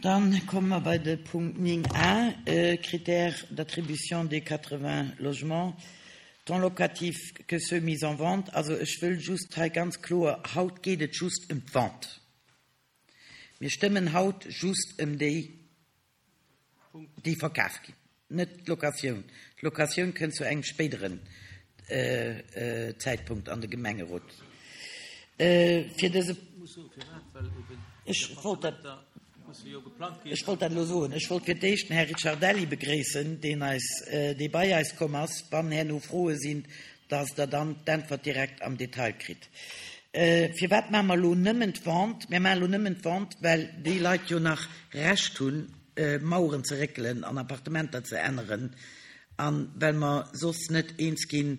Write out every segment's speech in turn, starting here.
Dann komme mer bei de Punkt 9 a, Critères d'attribution des 80 logements, tant locatifs que ceux mis en vente. Also ech wëll just hei ganz kloer, haut geet et just ëm d'Vente. Mir stëmmen haut just ëm déi, déi verkaf ginn, net d'Locatioun. D'Locatioun kënnt zu engem spéideren Zäitpunkt an de Gemengerot. Fir dëse. Ech wollt dat, ech wollt dat elo soen. Ech wollt fir d'éischt den Här Ricciardelli begréissen, deen eis, dee bei eis komm ass. Wann herno Froe sinn, dass Der dann d'Äntwert direkt am Detail kritt. Firwat maache mer elo nëmmen d'Vente? Mir maache elo nëmmen d'Vente, well déi Leit jo nach Recht hunn, Maueren ze réckelen an Appartementer ze änneren a well mer soss net eens gi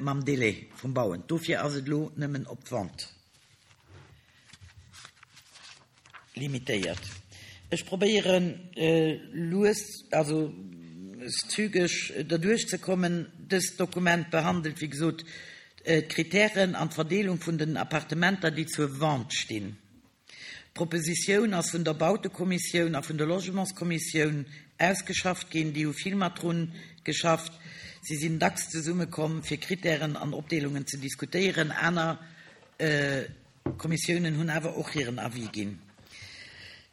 mam Délai vum Bauen. Dofir ass et elo nëmmen op d'Vente. Limitéiert. Ech probéieren lues, also zügeg derduerch ze kommen. Dëst Dokument behandelt, wéi gesot, d'Kritären an d'Verdeelung vun den Appartementer, déi zur Vente stinn. D'Propositioun ass vun der Bautekommissioun a vun der Logementskommissioun ausgeschafft ginn. Déi hu vill mat drun geschafft. Si sinn dacks zesummekomm, fir Kritären an Opdeelungen ze diskutéieren. Aner D'Kommissiounen hunn awer och hiren Avis ginn.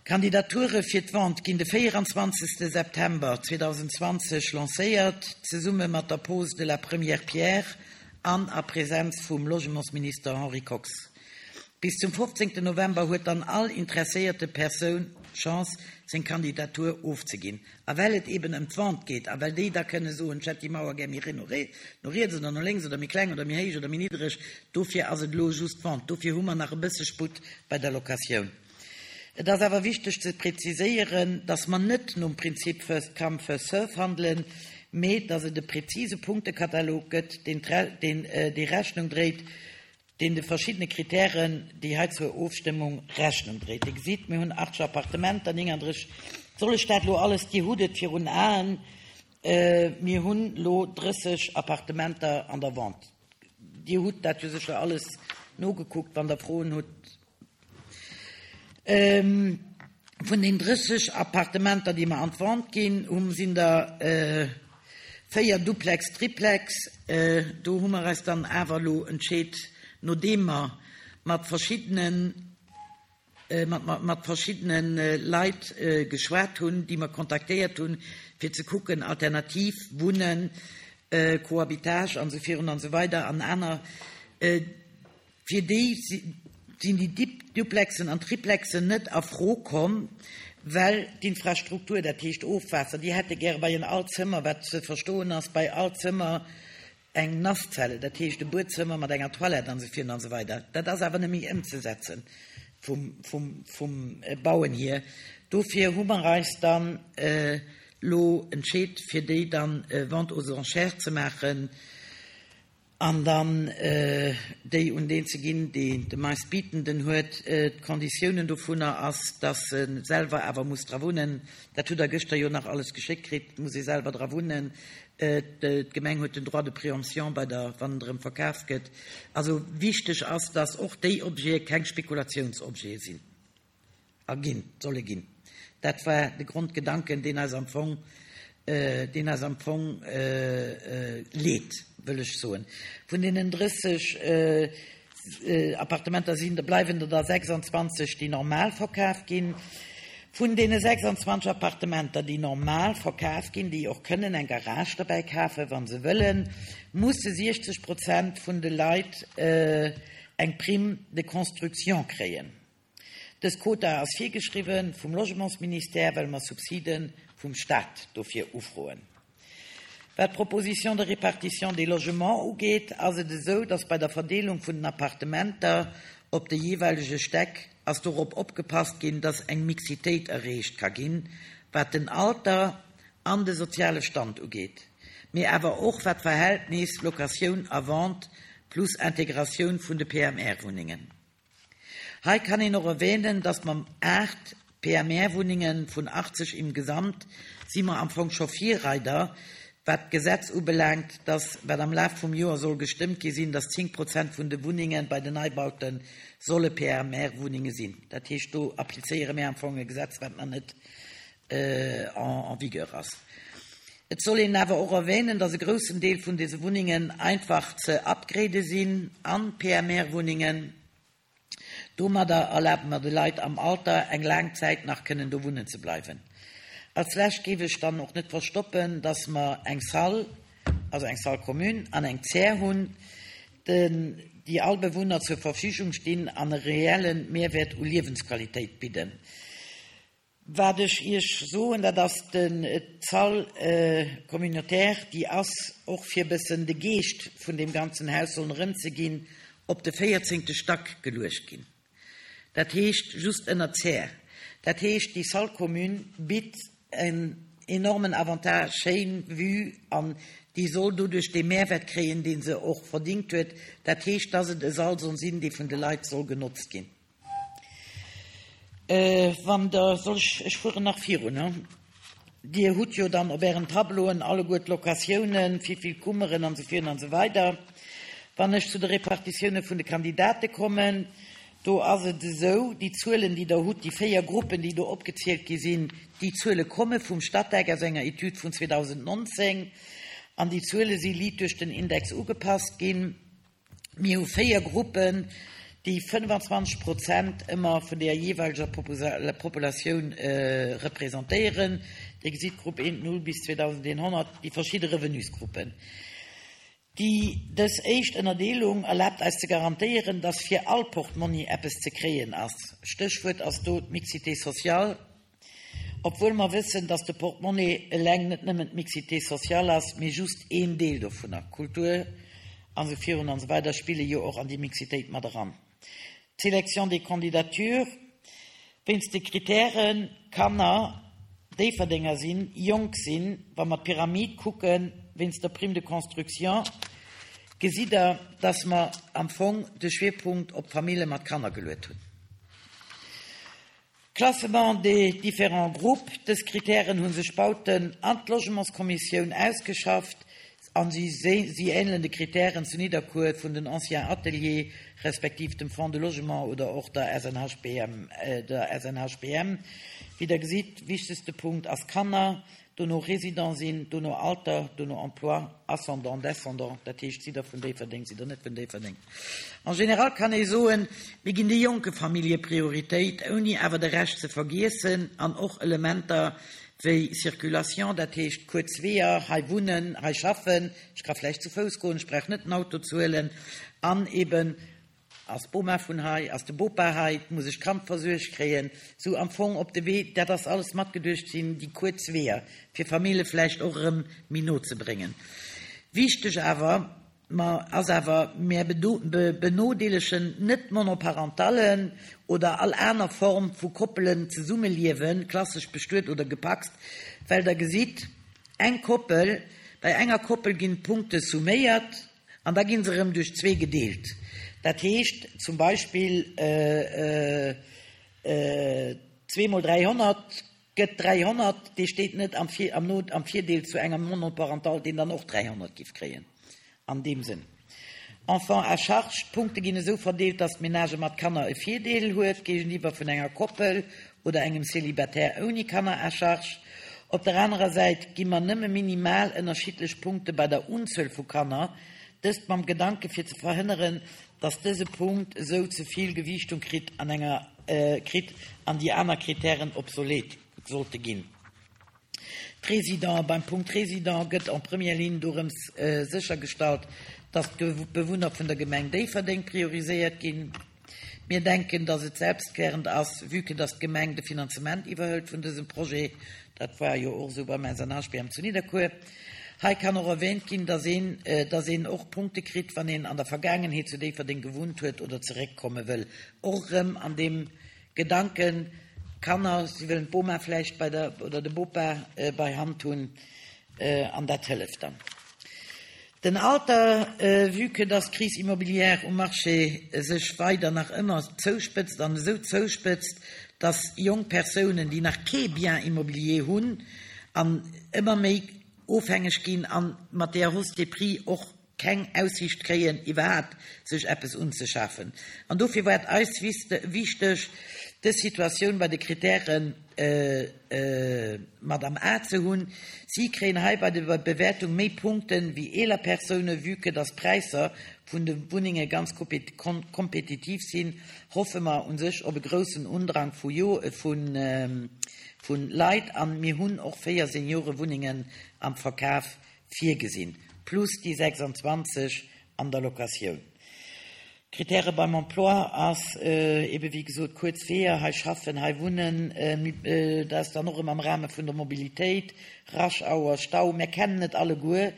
D'Kandidature fir d'Vente ginn de 24 September 2020 lancéiert, zesumme mat der Pose de la première pierre an a Presenz vum Logementsminister Henri Kox. Bis zum 15 November huet dann all interesséierte Persoun d'Chance, seng Kandidatur ofzeginn. A well et eben ëm d'Vente geet a well déi da kënne soen, ech hätt déi Mauer gär méi no riets oder no lénks oder méi kleng oder méi héich oder méi niddereg, dofir ass et elo just d'Vente. Dofir hu mer nach e bësse Sputt bei der Locatioun. Et ass awer wichteg ze preziséieren, dass mer net nom Prinzip first come, first serve handelen, mee dass et e prezise Punktekatalog gëtt, deen dee Rechnung dréit, deen de verschiddene Kritären, déi hei zur Ofstëmmung, Rechnung dréit. Dir gesitt, mir hunn 80 Appartementer, 39, soll ech dat elo alles, Dir hutt et virun Aen, mir hunn elo 30 Appartementer an der Vente. Dir hutt dat jo sécher alles nogekuckt, wann Der Froen hutt. Vun den 30 Appartementer, déi mer an d'Vente ginn hunn, sinn der 4 Duplex, Triplex. Do hu mer eis dann awer elo entscheet, nodeem mer mat verschiddene mat verschiddene Leit geschwat hunn, déi mer kontaktéiert hunn, fir ze kucken, alternativ Wunnen, Cohabitage an esou virun an esou weider an aner, Fir déi sinn déi Duplexen an Triplexen net a Fro komm, well d'Infrastruktur, dat heescht Ofwaasser, déi hätte gäre bei en all Zëmmer, wat ze verstoen ass, bei all Zëmmer eng Nasszelle, dat heescht e Buedzëmmer mat enger Toilette an esou virun an esou weider. Dat ass awer net méi ëmzesetze vum Bauen hier. Dofir hu mer eis dann elo entscheet, fir déi dann Vente aux enchères ze maachen. An dann déi un deen ze ginn, deen de meistbietenden huet. D'Konditiounen dovunner ass, dass e selwer awer muss dra wunnen. Dat hutt Der gëschter jo nach alles geschéckt kritt. Et muss ee selwer dra wunnen. D'Gemeng huet den Droit de préemption bei der, wann en erëm verkaf gëtt. Also wichteg ass, dass och déi Objete keng Spekulationsobjete sinn. A ginn, solle ginn. Dat war de Grondgedanken, deen eis am Fong, deen eis am Fong leet, wëll ech soen. Vun deenen 30 Appartementer sinn der, bleiwen der da 26, déi normal verkaf ginn. Vun deene 26 Appartementer, déi normal verkaf ginn, déi och kënnen eng Garage derbäi kafen, wa se wëllen, musse 60 Prozent vun de Leit eng Prime de construction kréien. Dës Quota ass virgeschriwwen vum Logementsministère, well mer Subside vum Stat dofir ufroen. Wat d'Proposition de répartition des logements ugeet, ass et esou, dass bei der Verdeelung vun den Appartementer op de jeeweilege Stäck ass dorop opgepasst ginn, dass eng Mixitéit erreecht ka ginn, wat den Alter an de soziale Stand ugeet, mee awer och wat d'Verhältnis Locatioun a Vente plus Integratioun vun de PMR-Wunnengen. Hei kann een och erwähnen, dass mer 8 PMR-Wunnenge vun 80 im Gesamt si mer am Fong scho Virreider. Wat d'Gesetz ubelaangt, dass, wat am Laf vum Joer soll gestëmmt gi sinn, dass 10 Prozent vun de Wunnenge bei den Neibaute solle PMR-Wunnenge sinn. Dat heescht, do applizéiere mir am Fong e Gesetz, wat nach net en vigueur ass. Et soll een awer och erwänen, dass e groussen Deel vun dese Wunnengen einfach ze upgrade sinn an PMR-Wunnengen. Domadder erlabe mer de Leit am Alter, eng laang Zäit nach kënnen do wunnen ze bleiwen. Als Lescht géif ech dann och net verstoppen, dass mer eng Salle, also eng Salle commune an eng Zär hunn, déi all Bewunner zur Verfügung stinn an e reelle Mehrwäert u Liewensqualitéit bidden. Wat ech Iech soen, dat ass d'Salle communautaire, déi ass, och fir e bëssen de Geescht vun deem ganzen Haus sollen erëmzeginn, op de véierzéngte Stack geluecht ginn. Dat heescht just ënner Zär. Dat heescht, déi Salle commune bitt en enormen Avantage, schéin Vue, an déi soll doduerch dee Mehrwert kréien, dee se och verdingt huet. Dat heescht, dass et e Sall soll sinn, dee vun de Leit soll genotzt ginn. Wann Der, soll ech, ech fueren nach virun, he? Dir hutt jo dann op Ären Tableauen alleguer d'Locatiounen, wivill Kummeren an esou virun an esou weider. Wann ech zu de Repartitioune vun de Kandidate kommen, do ass et esou, déi Zuelen, déi Der hutt, déi véier Gruppen, déi do opgezielt gi sinn, déi Zuele komme vum Statec aus enger Etüd vun 2019 an déi Zuele si liit duerch den Index ugepasst ginn. Mir hu véier Gruppen, déi 25 Prozent ëmmer vun der jeeweileger Populatioun representéieren. Dir gesitt Grupp 1, 0 bis 2100, déi verschidde Revenusgruppen. Déi dës éischt Ënnerdeelung erlaabt eis ze garantéieren, dass fir all Portmonni eppes ze kréien ass. Stéchwuert ass do d'Mixité sociale. Obwuel mer wëssen, dass de Portemonnaie eleng net nëmmen d'Mixité sociale ass, mee just een Deel dovunner. Kultur an esou virun an esou weider spille jo och an déi Mixitéit mat eran. D'Sélection des candidatures wéinst de Kritären, Kanner, Déifferdenger sinn, jonk sinn, wa mer d'Pyramid kucken, wéinst der Prime de construction, gesitt Der, dass mer am Fong de Schwierpunkt op d'Famille mat Kanner geluet hunn. Classement des différents groupes, Dës Kritären hu sech Bauten an d'Logementskommissioun ausgeschafft a si si ähnelen de Kritären zu Nidderkuer vun den Anciens Ateliers respektiv dem Fonds de Logement oder och der SNHBM. Der SNHBM. Wéi Der gesitt, wichtegste Punkt ass Kanner, dono Résident sinn, dono Alter, dono Emploi, Ascendant, Descendant, dat heescht, sidd Der vun Déifferdeng, sidd Der net vun Déifferdeng. En général kann ee soen, mir ginn de jonke Famillje Prioritéit, ouni awer de Rescht ze vergiessen an och Elementer wéi Circulation, dat heescht kuerz Weeër, hei wunnen, hei schaffen, ech ka vläicht zu Fouss goen, ech brauch net den Auto ze huelen an eben, Ass d'Boma vun hei? Ass de Bopa hei? Muss ech d'Kand versuergt kréien? Sou am Fong op de Wee, dat ass alles matgeduecht, sinn déi kuerz Weeër, fir Famille vläicht och erëm méi no ze bréngen. Wichteg awer mer ass awer, mär benodeelegen net d'Monoparentallen oder all aner Form vu Koppelen, Zesummeliewen, klassesch bestuet oder gepacst, well Der gesitt, eng Koppel, bei enger Koppel ginn d'Punkte summéiert, An da gi se erëm duerch zwee gedeelt. Dat heescht zum Beispill zwee mol 300 gëtt 300, dee steet net am Virdeel zu enger Monoparentale, deen dann och 300 giff kréien an deem Sënn. Enfants à charge, d'Punkte ginn esou verdeelt, datt d'Menage mat Kanner e Virdeel huet géigeniwwer vun enger Koppel oder engem Célibataire ouni Kanner à charge. Op der anerer Säit gi mer nëmme minimal ënnerschiddlech Punkte bei der Unzuel vu Kanner, dëst mam Gedanke fir ze verhënneren, dass dëse Punkt esou ze vill Gewiichtung kritt an enger kritt an déi aner Kritären obsolet sollte ginn. D'Résidents, Beim Punkt Résidents gëtt en première ligne dorëms séchergestallt, dass d'Bewunner vun der Gemeng Déifferdeng prioriséiert ginn. Mir denken, dass et selbstklärend ass, vue que dass d'Gemeng de Finanzement iwwerhëlt vun dësem Projet. Dat war jo och esou beim SNHBM zu Nidderkuer. Hei kann och erwähnt ginn, dass een, dass een och Punkte kritt, wann een an der Vergaangenheet zu Déifferdeng gewunnt huet oder zeréckkomme wëll. Och erëm an deem Gedanken, Kanner, si wëllen d'Boma vläicht bei der, oder de Bopa bei Hand hunn, an dat hëlleft dann. Den Alter, vue que dass d'Crise immobilière um Marché sech weider nach ëmmer zouspëtzt an esou zouspëtzt, dass jonk Persounen, déi nach kee Bien immobilier hunn, an ëmmer méi. Ofhängeg ginn an mat deeër Hausse des prix och keng Aussiicht kréien iwwerhaapt sech eppes unzeschafen. An dofir war et eis wichteg dës Situatioun bei de Kritären mat am A ze hunn. Si kréien hei bei der Bewäertung méi Punkten wéi eeler Persoune. Vue que dass d'Präisser vun de Wunnenge ganz kompetitiv sinn, hoffe mer un sech op e groussen Undrang vu Leit an mir hunn och 4 Seniorewunnengen am Verkaf virgesinn, plus déi 26 an der Locatioun. Kritäre beim Emploi ass ebe wéi gesot kuerz Weeër, hei schaffen, hei wunnen, dat ass dann och erëm am Rahme vun der Mobilitéit, Rush Hour, Stau, mär kennen et alleguer.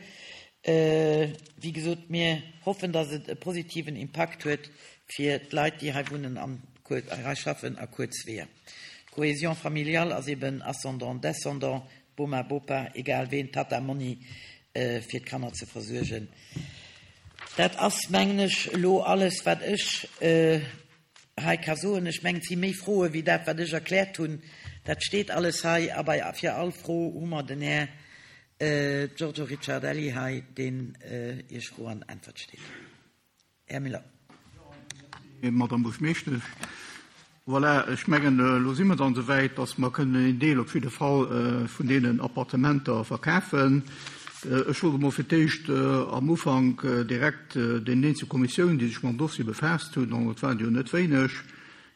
Wéi gesot, mir hoffen, datt et e positiven Impakt huet fir d'Leit, déi hei wunnen an hei schaffen a kuerz Weeër. D'Cohésion familiale ass eben ascendant, descendant, Boma, Bopa, egal ween, Tatta, Monni, fir d'Kanner ze versuergen. Dat ass, mengen ech, elo alles, wat ech hei ka soen. Ech mengen, et si méi Froe wéi dat, wat ech erkläert hunn. Dat steet alles hei. A bei, fir all Fro hu mer den Här Giorgio Ricciardelli hei, deen Iech Fro an Äntwert steet. Här Miller. Madame Buergermeeschtesch, voilà, ech mengen, elo si mer dann esouwäit, dass mer kënnen een Deel op jidde Fall vun deenen Appartementer verkafen. Ech wollt emol fir d'éischt am Ufank direkt deenen eenzel Kommissiounen, déi sech mam Dossier befaasst hunn, an et waren der jo net wéineg,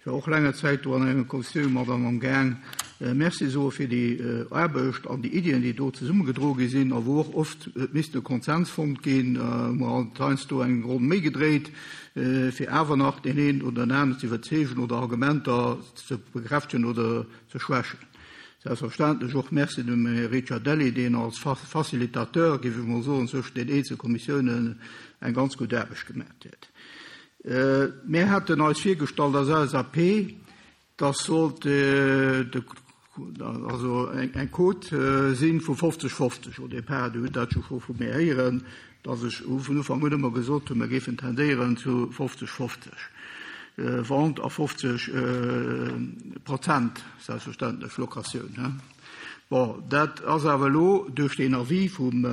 Ech war och länger Zäit do an enger Kommissioun mat an am Gaang, Merci soe fir déi Aarbecht an déi Iddien, déi do zesummegedroe gi sinn a wou och oft huet missten e Konsens fonnt ginn, hu mer alt heiansdo eng Ronn méi gedréit, fir awer nach deen een oder den aneren ze iwwerzeegen oder Argumenter ze bekräftegen oder ze schwächen. Selbstverständlech och Merci dem Här Ricciardelli, deen als Facilitateur, géif ech mol soen, zwëschen den eenzel Kommissiounen eng ganz gutt Aarbecht gemaat huet. Mir haten eis virgestallt als LSAP, dass sollt also eng Quote si vu 50, 50 au départ. Dir hutt dat jo scho vu mir héieren, dass ech vun Ufank un ëmmer gesot hunn, mir géifen tendéieren zu 50, 50 Vente a 50 Prozent selbstverständlech Locatioun. Bon, dat ass awer elo duerch deen Avis vum,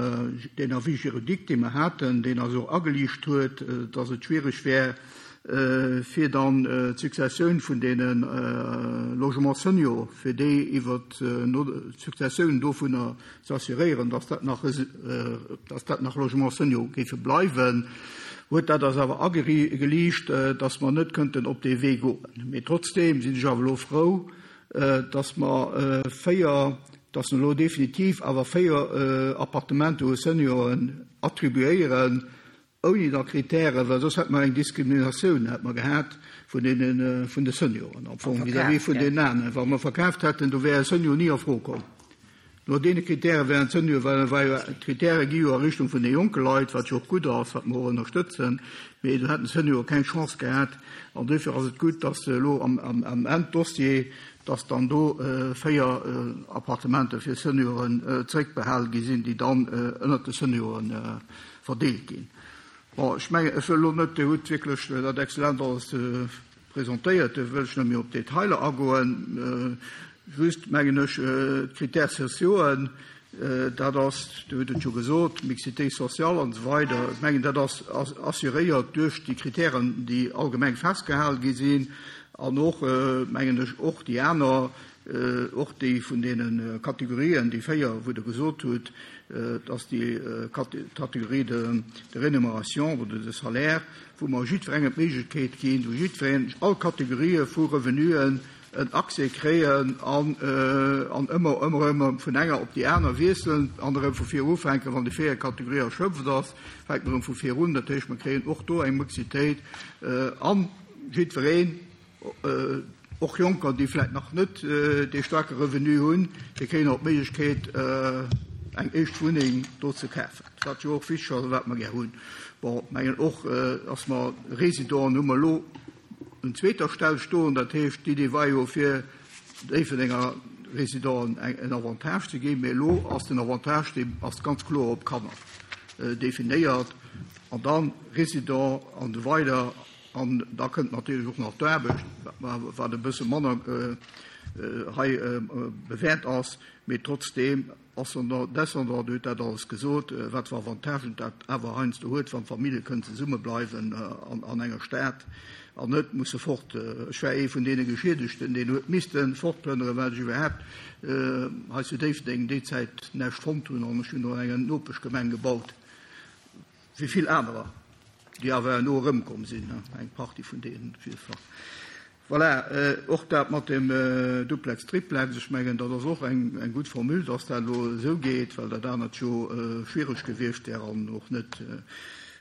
deen Avis juridique, dee mer haten, deen eis och ageliicht huet, dass et schwierig wär, fir dann d'Successioun vun deene Logements seniors, fir déi iwwert d'Successioun dovunner ze assuréieren, dass dat nach, dass dat nach Logements seniors géife bleiwen, huet dat eis awer ageliicht, dass mer net kënnten op dee Wee goen. Mee trotzdeem sinn ech awer elo frou, dass mer 4, dass mer elo definitiv awer 4 Appartementer u Senioren attribuéieren, ouni da Kritären, well soss hätte mer eng Diskriminatioun hätte mer gehat vun deene, vun de Senioren am Fong vis-à-vis vun deenen aneren. Wa mer verkaaft hätten, do wär e Senior ni a Fro komm. No deene Kritäre wären d'Seniore, well well jo d'Kritäre gi jo a Richtung vun de jonke Leit, wat jo och gutt ass, wat mer och ënnerstëtzen, mee do hätten d'Seniore keng Chance gehat. An duerfir ass et gutt, dass elo am am Enddossier, dass dann do 4 Appartementer fir Senioren zréckbehale gi sinn, déi dann ënnert de Seniore verdeelt ginn. Bon, ech mengen, ech wëll elo net, Dir hutt wierklech dat exzellent alles Presentéiert, do wëll ech net méi op d'Detailer agoen. Just mengen ech, d'Critères sociauxen, dat ass, Dir hutt et jo gesot, d'Mixité sociale an esou weider, ech mengen, dat ass assuréiert duerch déi Kritären, déi allgemeng festgehale gi sinn an och, mengen ech, och déi aner, och déi vun deene Kategorien, déi 4, wou Der gesot hutt, dass déi Catégorie de rémunération oder de salaire, wou mer jiddwerengem d'Méiglechkeet ginn, wou jiddwereen, all Kategorië vu Revenuen en Accès kréien an ëmmer, ëmmer erëm vun enger op déi aner wiesselen an erëm vu vir ufänken. Wann déi véiert Kategorie erschöpft ass, fänkt mer erëm vu vir un. Dat heescht, mer kréien och do eng Mixitéit an jiddwereen, Och Jonker, déi vläicht nach net dee staarke Revenu hunn, déi kréien och d'Méiglechkeet, eng éischt Wunneng do ze kafen, wat jo och wichteg ass a wat mer gär hunn. Bon, mengen och, dass mer Résidenten hu mer elo un zweeter Stell stoen. Dat heescht, d'Idee war jo, fir Déifferdenger Résidenten en Avantage ze ginn, mee elo ass den Avantage, dee ass ganz kloer op Kanner definéiert an da Résident an esou weider. An da kënnt natierlech och nach d'Aarbecht, wat e bësse manner hei bewäert ass, mee trotzdeem. Ascendant, Descendant, Dir hutt dat alles gesot, wat fir Avantagen dat awer heiansdo huet, wann d'Famillje kënnen zesummebleiwen an enger Stad an net musse fort. Ech war ee vun deene Geschiedegten, deen huet misste fortplënnere well ech iwwerhaapt hei zu Déifferdeng déi Zäit näischt fonnt hunn an ech hunn do an enger Nopeschgemeng gebaut. Wéi vill anerer, déi awer herno erëmkomm sinn, eng Partie vun deenen op jidde Fall. Voilà, och dat mat dem Duplex, Triplex, ech mengen, dat ass och eng gutt Formule, dass dat elo esou geet, well dat anert jo schwiereg gewiescht wär an och net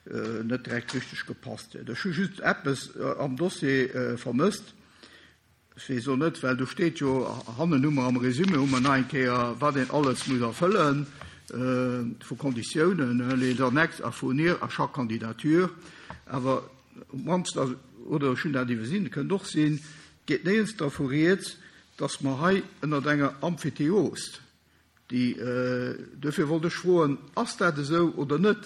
direkt richteg gepasst hätt. Ech hu just eppes am Dossier vermësst. Ech weess och net, well do steet jo hannen hu mer am Résumé hu mer nach eng Kéier, wat een alles muss erfëllen vu Konditiounen, les annexes à fournir à chaque candidature. Awer op d'mannst, oder ech hunn dat iwwersinn, kënnt och sinn, geet néierens dervu rieds, dass mer hei ënnert enger Emphytéose Déi, duerfir wollt ech froen, Ass dat esou oder net?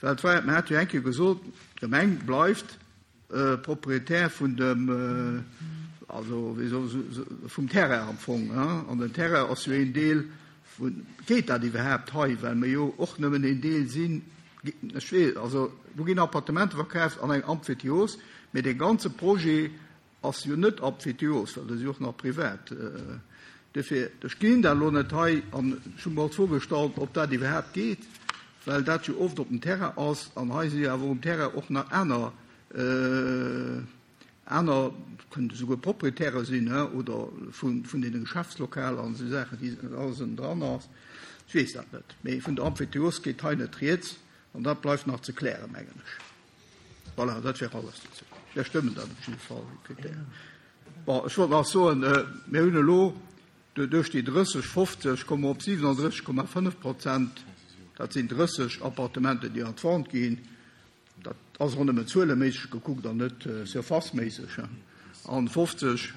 Well et war, mer hate jo eng Kéier gesot, d'Gemeng bleift Proprietär vun dem, also wéi soll ech, vum Terrain am Fong, an den Terrain ass jo een Deel vun, geet dat iwwerhaapt hei, well mer jo och nëmmen een Deel sinn? Ech weess, also do ginn Appartementer verkaaft an eng Emphytéose, mee dee ganze Projet Ass jo net Aphthéose, well dat ass jo och nach privat. Duerfir, ech ginn dat elo net hei an ech hu mer och d'Fro gestallt, ob dat iwwerhaapt geet, well dat jo oft op dem Terrain ass an hei si jo awer um Terrain och nach aner, aner, kënnen esouguer Proprietäre sinn, he, oder vun, vun deene Geschäftslokaler an esou Saachen, déi alles ënnendran ass. Ech weess dat net, mee vun der Emphytéose geet hei net rieds an dat bleift nach ze klären, mengen ech. Voilà, dat wär alles dozou. Mir stëmmen dat op jidde Fall, déi Kritären. Bon, ech wollt nach soen, mir hunn elo duerch déi 30, 50 komme mer op 37,5 Prozent. Dat sinn 30 Appartementen, déi an d'Vente ginn. Dat ass och nëmmen zueleméisseg gekuckt an net surfaceméisseg. An 50,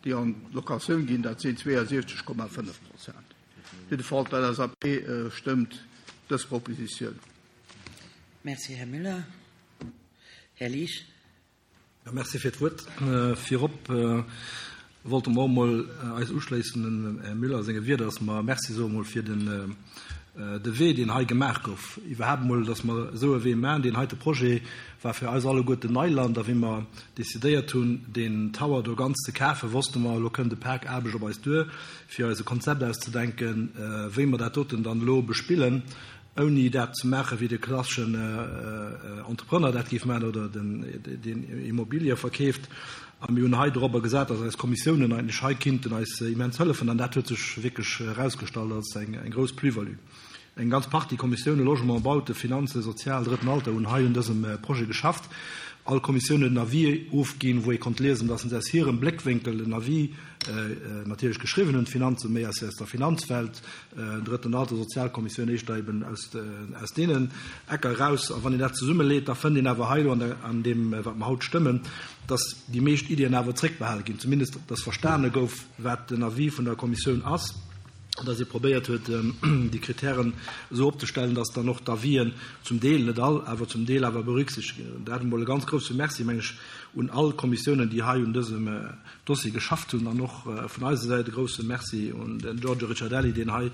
déi an d'Locatioun ginn, dat sinn 72,5 Prozent. Op jidde Fall, d'LSAP stëmmt dës Propositioun. Merci, Här Müller. Här Liesch. Ja, merci fir d'Wuert. Virop wollte mer och emol eis uschléissen dem Här Müller senge Wierder, dass mer Merci soe mol fir den de Wee, deen hei gemaach gouf. Iwwerhaapt emol, dass mer esou e Wee maachen. Deen heite Projet war fir eis alleguerten Neiland. A wéi mer decidéiert hunn, deen Tower do ganz ze kafen, wosste mer, elo kënnt e Pak Aarbecht op eis duer, fir eis e Konzept auszedenken, wéi mer dat doten dann elo bespillen. ouni dat ze maachen, wéi de klasseschen Entrepreneur dat géif maachen oder deen Immobilië verkeeft. A mir hunn hei dorobber gesat, dass eis Kommissiounen eigentlech hei kinnten eis immens hëllefen. An dat huet sech wierklech erausgestallt als eng grouss Plus-value. Eng ganz Partie Kommissiounen, Logement, Bauten, Finanzen, Sozial, Drëtten Alter, hunn hei un dësem Projet geschafft. All Kommissioun huet en Avis ofginn, wou ee konnt liesen, dass se aus hirem Bléckwénkel en Avis natierlech geschriwwen hunn, d'Finanzen méi aus der Finanzwelt, Drëtten Alter, Sozialkommissioun éischter eben aus, aus deenen Ecker eraus. A wann een dat zesummeleet, da fënnt een awer hei elo an der, an deem, wat mer haut stëmmen, dass déi meescht Iddien awer zréckbehale ginn, zumindest dass verstane gouf, wat den Avis vun der Kommissioun ass, an dass ee probéiert huet, déi Kritären esou opzestellen, dass dann och d'Avisen zum Deel, net all, awer zum Deel awer berücksichtegt ginn. Dat emol e ganz grousse Merci, meng ech, un all Kommissiounen, déi hei un dësem Dossier geschafft hunn an och vun eiser Säit e grouse Merci un den Giorgio Ricciardelli, deen hei,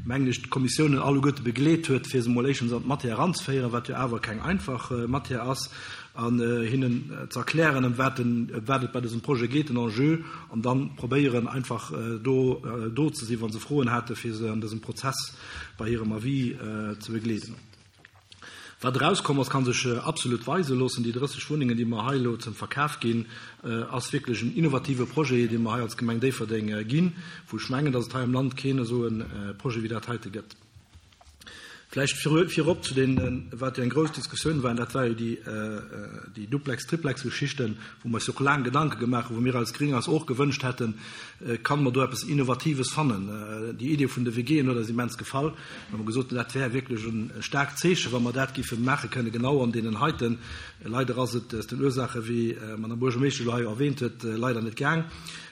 mengen ech, d'Kommissiounen alleguerte begleet huet, fir se emol éischtens an d'Matière eranzeféieren, wat jo awer keng einfach Matière ass, an hinnen ze erklären, ëm wat et bei dësem Projet geet, den Enjeu, an da probéieren einfach do do ze sinn, wa se Froen haten, fir se an dësem Prozess bei hirem Avis ze begleeden. Wat erauskomm ass, ka sech absolut weise loossen. Déi 30 Wunnengen, déi mer hei elo zum Verkaf ginn, ass wierklech en innovative Projet, dee mer hei als Gemeng Déifferdeng ginn, wou ech mengen, datt et hei am Land keen esou e Projet wéi dat heite gëtt. Vläicht virop zu deenen, wat jo eng grouss Diskussioun war, an dat war jo déi Duplex-Triplex-Geschichten, wou mer eis jo och laang Gedanke gemaach hunn, wou mir als Gring eis och gewënscht hätten, Kann mer do eppes Innovatives fannen? Déi Idee vun de WGen huet eis immens gefall. Mir hu gesot, dat wär wierklech e staarkt Zeechen, wa mer dat géife maache kënnen, genau an deenen heiten. Leider ass et aus den Ursaachen, wéi d'Madame Buergermeeschtesch elo hei jo erwähnt huet, leider net gaang.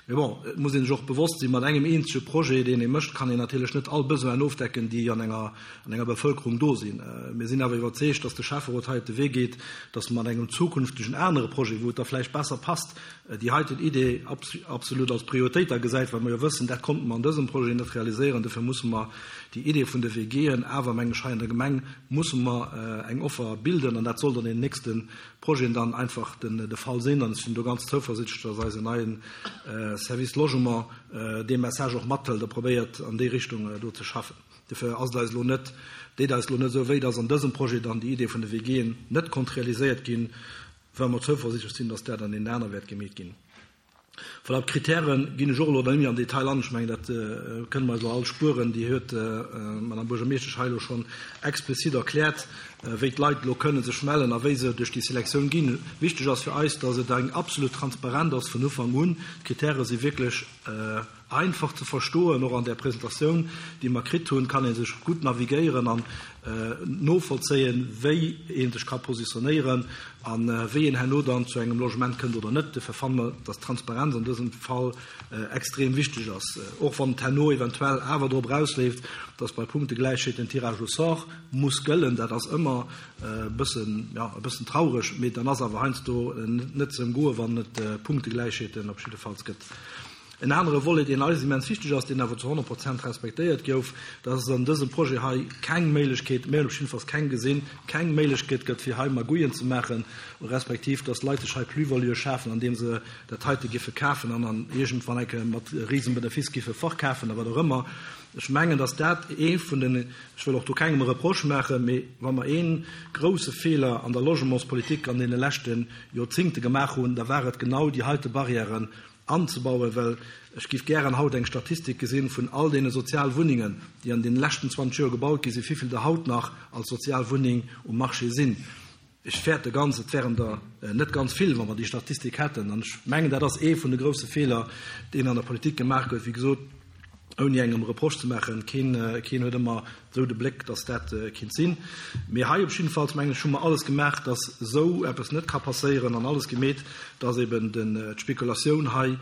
Mee bon, et muss ee sech och bewosst sinn, mat engem eenzege Projet, deen ee mécht, kann een natierlech net all Besoinen ofdecken, déi an enger, an enger Bevëlkerung do sinn. Mir sinn awer iwwerzeegt, dass de Schäfferot hei op de Wee geet, dass mer mat engem zukünftegen anere Projet, wou et da vläicht besser passt, déi heiten Idee absolut als Prioritéit da gesäit, well mer jo wëssen, dat konnte mer an dësem Projet net realiséieren. Dofir musse mer déi Idee vun de WGen awer, meng ech, hei an der Gemeng musse mer eng Offer bilden an dat soll dann an den nächste Projeten dann einfach de Fall sinn. An ech sinn do ganz zouversichtlech, dass eisen neie Service Logement dee Message och mathëlt a probéiert, an déi Richtung do ze schaffen. Dofir ass et eis elo net, deet eis elo net esou wéi, dass an dësem Projet dann déi Idee vun de WGen net konnt realiséiert ginn, well mer zouversichtlech sinn, dass dat an deenen aner wäert gemeet ginn. Voilà, op d'Kritäre ginn ech och elo net méi am Detail an. Ech mengen, dat kënne mer eis elo all spueren. Déi huet d'Madame Buergermeeschtesch hei elo schonn explizit erkläert, wéi d'Leit elo kënne sech mellen a wéi se duerch déi Selektioun ginn. Wichteg ass fir eis, dass et eng absolut Transparent ass vun Ufank un. D'Kritäre si wierklech Einfach ze verstoen, och an där Presentatioun, déi mer kritt hunn, kann ee sech gutt navigéieren an novollzéien, wéi ee sech ka positionéieren a wéi een herno dann zu engem Logement kënnt oder net. Dofir fanne mer, dass d'Transparenz an dësem Fall extrem wichteg ass, och wann et herno eventuell awer drop erausleeft, dass bei Punktegläichheet den Tirage au sort muss gëllen. Dat ass ëmmer e bëssen, jo, e bëssen traureg, mee dann ass awer heiansdo net ze ëmgoen, wann et Punktegläichheeten op jiddefalls gëtt. En anere Volet, deen eis immens wichteg ass, deen awer zu 100 Prozent respektéiert gouf, dat ass, dass an dësem Projet hei keng Méiglechkeet, mir hunn op jiddefalls keng gesinn, keng Méiglechkeet gëtt, fir hei Magouillen ze maachen, respektiv dass Leit sech hei Plus-valuë schafen, andeem se dat heite giffe kafen an dann iergendwann eng Kéier mat Risenbenefice giffe verkafen oder wat och ëmmer. Ech mengen, dass dat ee vun den, ech wëll och do kengem e Reproche maachen, mee wa mer ee grouse Feeler an der Logementspolitik an deene leschte Joerzingte gemaach hunn, da war et genau déi heite Barrièren anzebauen, well ech géif gären haut eng Statistik gesinn vun all deene Sozialwunnengen, déi an deene leschten 20 Joer gebaut gi sinn, wéivill der haut nach als Sozialwunneng um Marché sinn. Ech fäerte ganz, et wären der net ganz vill, wa mer déi Statistik hätten. An ech mengen, dat ass ee vun de grouse Feeler, deen an der Politik gemaach gëtt. Wéi gesot, ouni engem Reproche ze maachen, keen, keen huet ëmmer esou de Bléck, datt dat kinnt sinn. Mee hei op jiddefalls, mengen ech, hu mer alles gemaach, datt esou eppes net ka passéieren an alles gemeet, datt eben den, d'Spekulatioun hei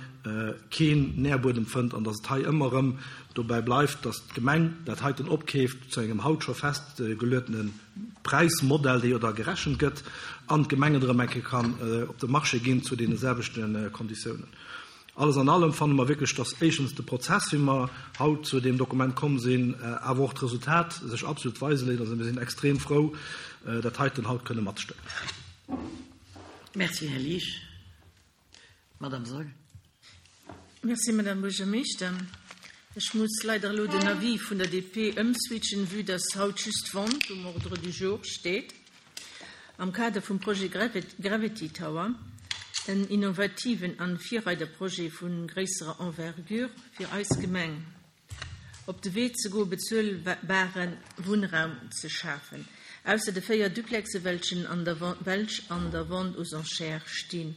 keen Nährbuedem fënnt an datt et hei ëmmer erëm dobäi bleift, datt d'Gemeng dat heiten opkeeft zu engem haut scho festgeluetene Präismodell, dee jo da gerechent gëtt, an d'Gemeng et erëm eng Kéier kann op de Marché ginn zu deene selwechte Konditiounen. Alles an allem fanne mer wierklech, dass éischtens de Prozess, wéi mer haut zu deem Dokument komm sinn, awer och d'Resultat sech absolut weise léisst. Also mir sinn extrem frou, dat heiten haut kënne matstëmmen. Merci, Här Liesch. Madame Saeul. Merci, Madame Buergermeeschter. Ech muss leider elo den Avis vun der DP ëmswitchen, vue dass haut just d'Vente um Ordre du jour steet. Am Kader vum Projet Gravity Tower, en innovativen an Virreiderprojet vu gréisserer Envergure fir eis Gemeng, op de Wee ze goen, bezuelbare Wunnraum ze schafen, ausser de 4 Duplexe welchen an der welch an der Vente aux enchères stinn.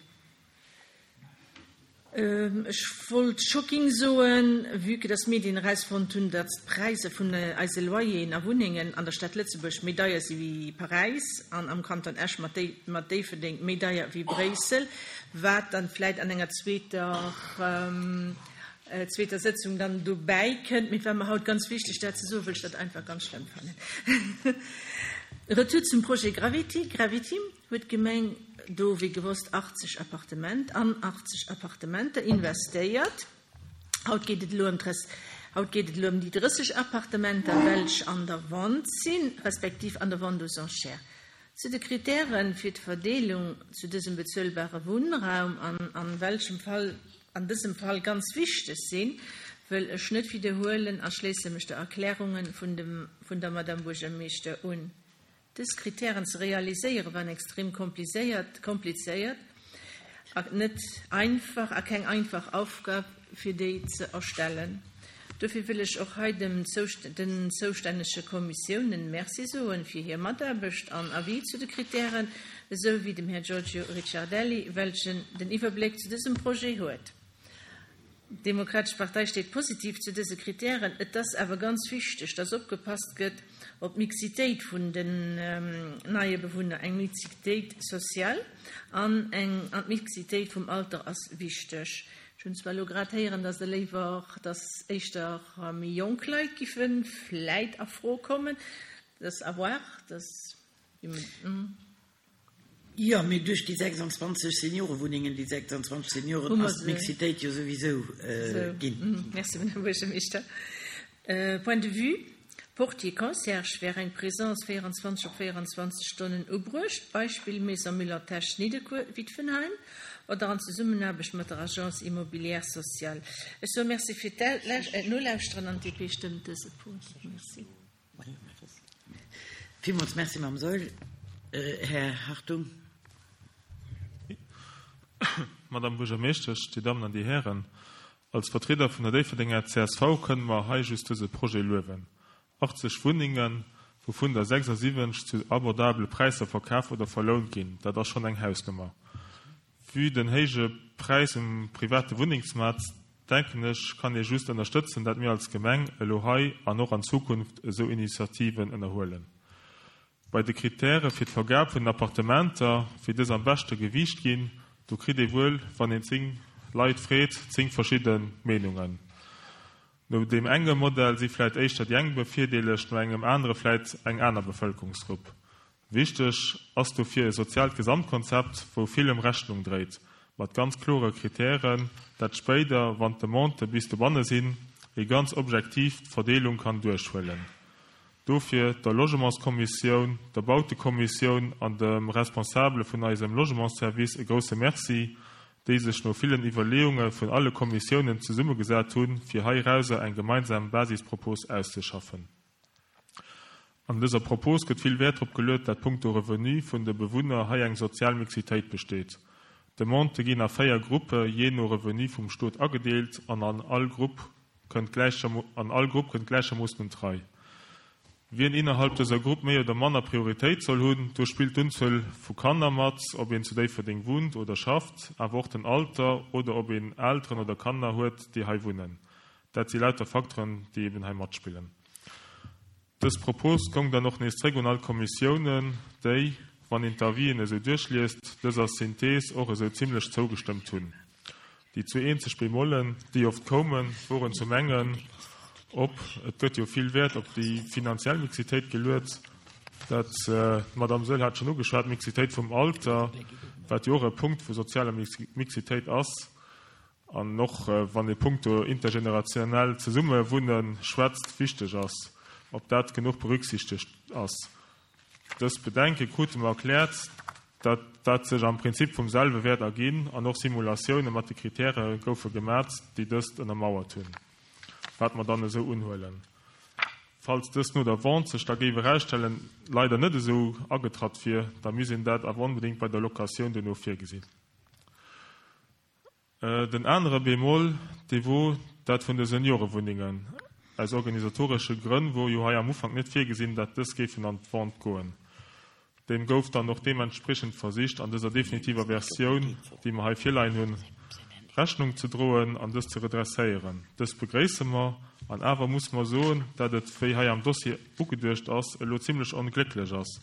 Ech wollt shocking soen, vue que dass d'Medien erausfonnt hunn, datt d'Präisser vun eise Loyeren a Wunnengen an der Stad Lëtzebuerg méi deier si wéi Paräis an am Kanton Esch mat Déifferdeng méi deier wéi Bréissel, wat dann vläit an enger zweeter zweeter Sëtzung dann dobäi kënnt. Mee et war mer haut ganz wichteg dat ze soen, wëll ech dat einfach ganz schlëmm fannen. Retour zum Projet Gravity, Gravity. huet d'Gemeng do wéi gewosst 80 Appartement an 80 Appartementer investéiert. Haut geet et elo ëm haut geet et elo ëm déi 30 Appartementer, welch an der Vente sinn, respektiv an der Vente aux enchères. Zu de Kritären fir d'Verdeelung zu dësem bezuelbare Wunnraum an an welchem Fall an dësem Fall ganz wichteg sinn, wëll ech net widderhuelen a schléisse mech der Erklärungen vun dem vun der Madame Buergermeeschter un. Dës Kritären ze realiséiere waren extrem komplizéiert a net einfach a keng einfach Aufgab fir déi ze erstellen. Dofir wëll ech och hei dem den zoustännege Kommissiounen Merci soen fir hir Mataarbecht an Avis zu de Kritären, esou wéi dem Här Giorgio Ricciardelli, welchen den Iwwerbléck zu dësem Projet huet. D'Demokratesch Partei steet positiv zu dëse Kritären. Et ass awer ganz wichteg, dass opgepasst gëtt op d'Mixitéit vun den neie Bewunner. Eng Mixitéit sociale an eng an d'Mixitéit vum Alter ass wichteg. Ech hunn zwar elo grad héieren, dass Der léiwer, dass éischter méi jonk Leit giffe vläit a Fro kommen. Dat ass à voir. Dat ass. Jo, mee duerch déi 26 Seniorewunnengen, déi 26 Senioren, ass d'Mixitéit jo souwisou ginn. Merci, Madame Buergermeeschter. Point de vue Portier, Concierge wär eng Présence 24 op 24 Stonnen ubruecht, Beispill Maison Müller-Tesch, Nidderkuer, Witwenheim, oder an Zesummenaarbecht mat der Agence immobilière sociale. Ech soe Merci fir d'Nolauschteren an d'DP stëmmt dëse Punkt. Merci. Villmools Merci, Mme Saeul. Här Hartung. Madame Buergermeeschtesch, Dir Dammen an Dir Hären, als Vertrieder vun der Déifferdenger csv kënne mer hei just dëse Projet luewen. 80 Wunnengen, wouvun der 76 zu abordabele Präisser verkaf oder verlount ginn, dat ass schonn eng Hausnummer. Vue den héije Präis um private Wunnengsmaart, denken ech, kann ee just ënnerstëtzen, dat mir als Gemeng elo hei an och an Zukunft esou Initiativen ënnerhuelen. Bei de Kritäre fir d'Vergab vun den Appartementer, wéi dës am beschte gewiicht ginn, do kritt ee wuel, wann een 10 Leit freet, 10 verschidde Meenungen. No deem enge Modell si vläit éischter déi eng bevirdeelegt, no engem anere vläit eng aner Bevëlkerungsgrupp. Wichteg ass dofir e soziaalt Gesamtkonzept, wou villem Rechnung dréit, mat ganz klore Kritären, dat spéider, wann d'Demandë bis dobanne sinn, ee ganz objektiv d'Verdeelung kann duerchhuelen. Dofir der Logementskommissioun, der Bautekommissioun an dem Responsabele vun eisem Logementsservice e grousse Merci, déi sech no villen Iwwerleeunge vun alle Kommissiounen zesummegesat hunn, fir heirauser eng gemeinsam Basispropos auszeschaffen. An dëser Propos gëtt vill Wäert drop geluet, dat punkto Revenu vun de Bewunner hei eng sozial Mixitéit besteet. D'Demandë ginn a 4 Gruppe jee no Revenu vum Stot agedeelt an an all Grupp kënnt an all Grupp kënnt gläichermoossen un d'Rei. Wien innerhalb dëser Grupp méi oder manner Prioritéit soll hunn, do spillt d'Unzuel vu Kanner mat, ob een zu Déifferdeng wunnt oder schafft, awer och den Alter oder ob een Elteren oder Kanner huet, déi hei wunnen. Dat si lauter Facteuren, déi eben hei matspillen. Dës Propos goung dann och nees zréck un all d'Kommissiounen, déi, wann een d'Avisen esou duerchliest, dëser Synthees och esou zimlech zougestëmmt hunn. Déi zwee eenzeg Bémollen, déi oft koumen, woren zum engen, op, et gëtt jo vill Wäert op déi finanziell Mixitéit geluet, dat, d'Madame Saeul hat schonn ugeschwat, d'Mixitéit vum Alter, wat jo och e Punkt vu sozialer Mixitéit ass, An och wann ee punkto intergenerationell Zesummewunne schwätzt, wichteg ass, ob dat genuch berücksichtegt ass. Dës Bedenke krute mer erkläert, dat dat sech am Prinzip vum selwe wäert erginn an och Simulatioune mat de Kritäre goufe gemat, déi dëst ënnermauert hunn, wat mer dann esou unhuelen. Falls dëst no der Vente sech da géif erausstellen, leider net esou agetratt wier, da misst een dat awer onbedéngt bei der Locatioun duerno virgesinn. Den anere Bémol, dee wor dat vun de Seniorewunnengen. Aus organisatoresche Grënn wor jo hei am Ufank net virgesinn, dat dës géifen an d'Vente goen. Deem gouf dann och deementspriechend versicht, an dëser definitiver Versioun, déi mer hei virleien hunn, Rechnung ze droen an dës ze redresséieren. Dëst begréisse mer. An awer musse mer soen, dat et, wéi hei am Dossier ugeduecht ass, elo zimlech onglécklech ass,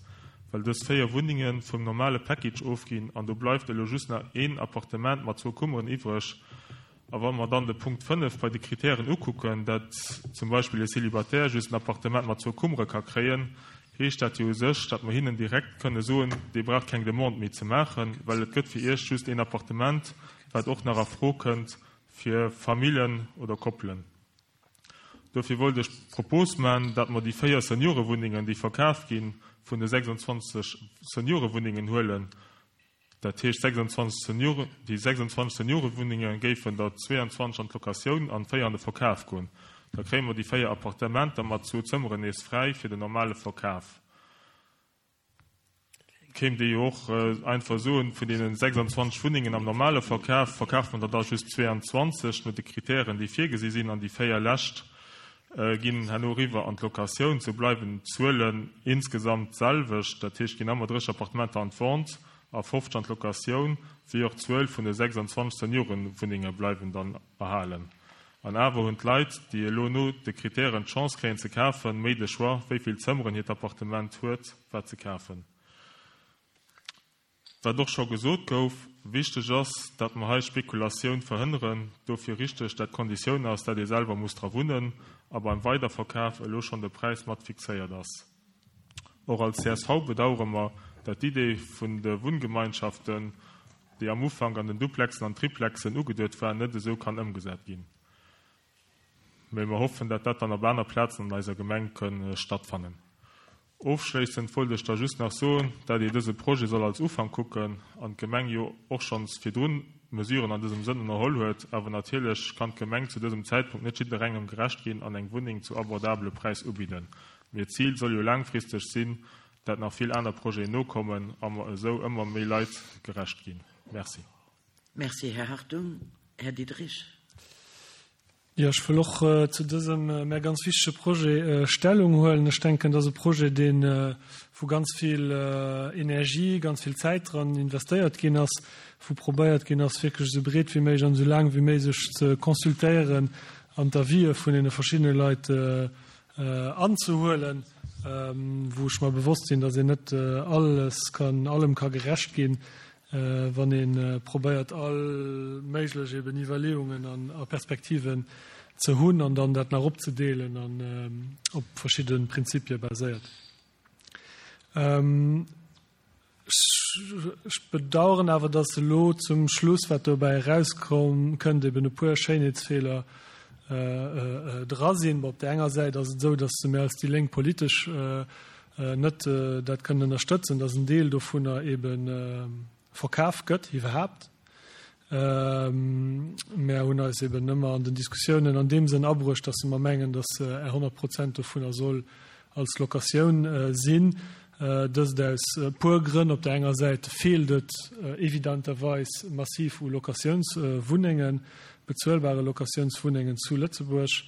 well dës 4 Wunnenge vum normale Package ofginn an do bleift elo just nach een Appartement mat zwou Kummeren iwwreg. A wa mer dann de Punkt 5 bei de Kritären ukucken, dat zum Beispill e Célibataire just en Appartement mat zwou Kummere ka kréien, heescht dat jo u sech, datt mer hinnen direkt kënne soen, Dir braucht keng Demande méi ze maachen, well et gëtt fir Iech just een Appartement, wat och nach a Fro kënnt fir Famillen oder Koppelen. Dofir wollt ech d'Propos man, dat mer déi 4 Seniorewunnengen, déi verkaf ginn, vun de 26 Seniorewunnengen huelen. Dat heescht, 26 Seniore, déi 26 Seniorewunnenge géifen der 22 an d'Locatioun an 4 an de Verkaf goen. Da kréie mer déi 4 Appartementer mat zwou Zëmmeren nees fräi fir den normale Verkaf. Kéint ee jo och einfach soen, vun deene 26 Wunnengen am normale Verkaf, verkafe mer der da just 22 no de Kritären, déi virgesi sinn, an déi véier lescht ginn herno eriwwer an d'Locatioun. Sou bleiwen d'Zuelen insgesamt d'selwecht, dat heescht, ginn ëmmer 30 Appartementer an d'Vente a 50 an d'Locatioun, wéi och d'Zuel vun de 26 Seniorenwunnenge bleiwen dann erhalen. An awer hunn d'Leit, déi elo no de Kritären d'Chance kréien ze kafen, méi de Choix, wéi vill Zëmmeren hiert Appartement huet, wat se kafen. Wat och scho gesot gouf, wichteg ass, dat mer hei Spekulatioun verhënneren. Dofir richteg, dat d'Konditioun ass, dat ee selwer muss dra wunnen a beim Weiderverkaf elo schonn de Präis mat fixéiert ass. Och als csv bedauere mer, dat d'Idee vun de Wunngemeinschaften, déi am Ufank an den Duplexen an Triplexen ugeduet war, net esou kann ëmgesat ginn. Mee mer hoffen, dat dat dann op aner Plazen an eiser Gemeng kënn stattfannen. Ofschléissend wollt ech da just nach soen, dat ee dëse Projet soll als Ufank kucken an d'Gemeng jo och schonns virdrun Mesuren an dësem Sënn ënnerholl huet. Awer natierlech kann d'Gemeng zu dësem Zäitpunkt net jidderengem gerecht ginn an eng Wunneng zu abordabele Präis ubidden. Mee d'Zil soll jo laangfristeg sinn, dat nach vill aner Projeten nokommen a mer esou ëmmer méi Leit gerecht ginn. Merci. Merci, Här Hartung. Här Diderich. Jo, ech wëll och zu dësem mär ganz wichtege Projet Stellung huelen. Ech denken, dat ass e Projet, deen, wou ganz vill Energie, ganz vill Zäit dran investéiert ginn ass, wou probéiert ginn ass, wierklech esou breet wéi méiglech an esou laang wéi méiglech ze consultéieren an d'Avisë vun deene verschiddene Leit anzehuelen, wou ech mer bewosst sinn, dass een net alles kann, allem ka gerecht ginn, wann ee probéiert all méiglech eben Iwwerleeungen an a Perspektiven ze hunn an dann dat nach opzedeelen an op verschidde Prinzipie baséiert. Ech bedauern awer, dass elo zum Schluss, wat dobäi erauskomm kënnt, eben e puer Schéinheetsfeeler dra sinn. Bon, op där enger Säit ass et esou, dass mir als déi Lénk politesch net dat kënnen ënnerstëtzen, dass en Deel dovunner ebe verkaf gëtt iwwerhaapt. Mär hunn eis eben ëmmer an den Diskussiounen an deem Sënn abruecht, dass mer mengen, dass 100 Prozent dovunner soll als Locatioun sinn. Dëst aus e puer Grënn. Op der enger Säit feelt et evidenterweis massiv u Locatiounswunnengen, bezuelbare Locatiounswunnengen zu Lëtzebuerg.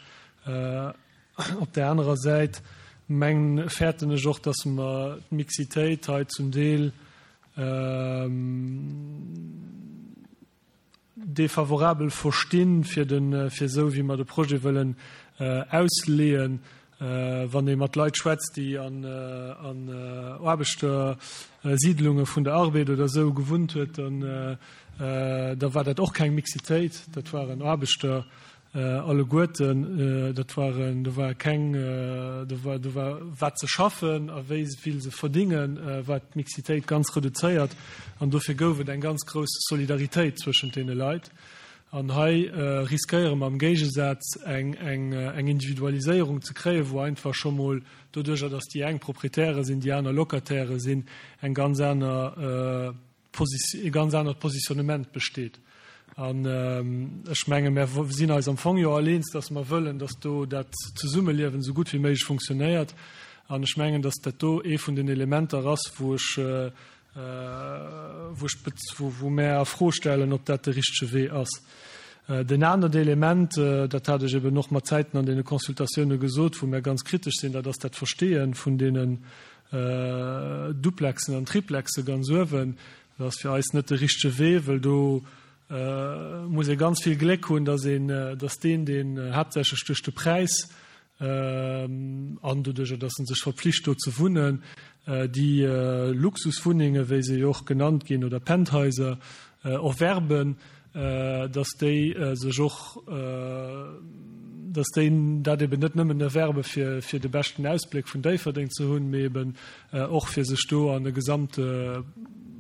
Op där anerer Säit meng, fäerten ech och, dass mer d'Mixitéit hei zum Deel defavorabel verstinn, fir de, fir esou wéi mer de Projet wëllen ausleeën. Wann ee mat Leit schwätzt, déi an, an Aarbechtersiidlunge vun der Arbed oder esou gewunnt huet, dann, da war dat och keng Mixitéit, dat waren Aarbechter, Alleguerten, dat waren, do war keng, do war, do war wat se schaffen a wéi vill se verdingen, war d'Mixitéit ganz reduzéiert an dofir gouf et eng ganz grouss Solidaritéit zwëschent deene Leit. An hei riskéiere mer am Géigesaz eng, eng, eng Individualiséierung ze kréien, wou einfach scho mol doduerjer, datt déi eng Proprietäre sinn, déi aner Locataire sinn, eng ganz aner, e ganz anert Positionnement besteet. An ech menge mär sinn eis am Fong jo all eens, datt mer wëllen, datt do dat Zesummeliewen esou gutt wéi méiglech funktionéiert. An ech mengen, datt dat do ee vun den Elementer ass, wou ech, wou ech, wou mär a Fro stellen, ob dat de richtege Wee ass. Den anert Element, dat hat ech eben och mat Zäiten an deene Consultatioune gesot, wou mär ganz kritesch sinn, dat ass dat Versteeë vun deenen Duplexen an Triplexe ganz uewen, dat ass fir eis net de richtege Wee, wëll do muss ee ganz vill Gléck hunn, dass een, dass deen, deen haaptsächlech duerch de Präis an doduerjer, dass en sech verpflicht do ze wunnen, déi Luxuswunnenge, wéi se jo och genannt ginn, oder Penthaiser erwerben, dass déi sech och, dass déi dat eben net nëmmen erwerbe fir fir de beschten Ausbléck vun Déifferdeng ze hunn, mee eben och fir sech do an e gesamt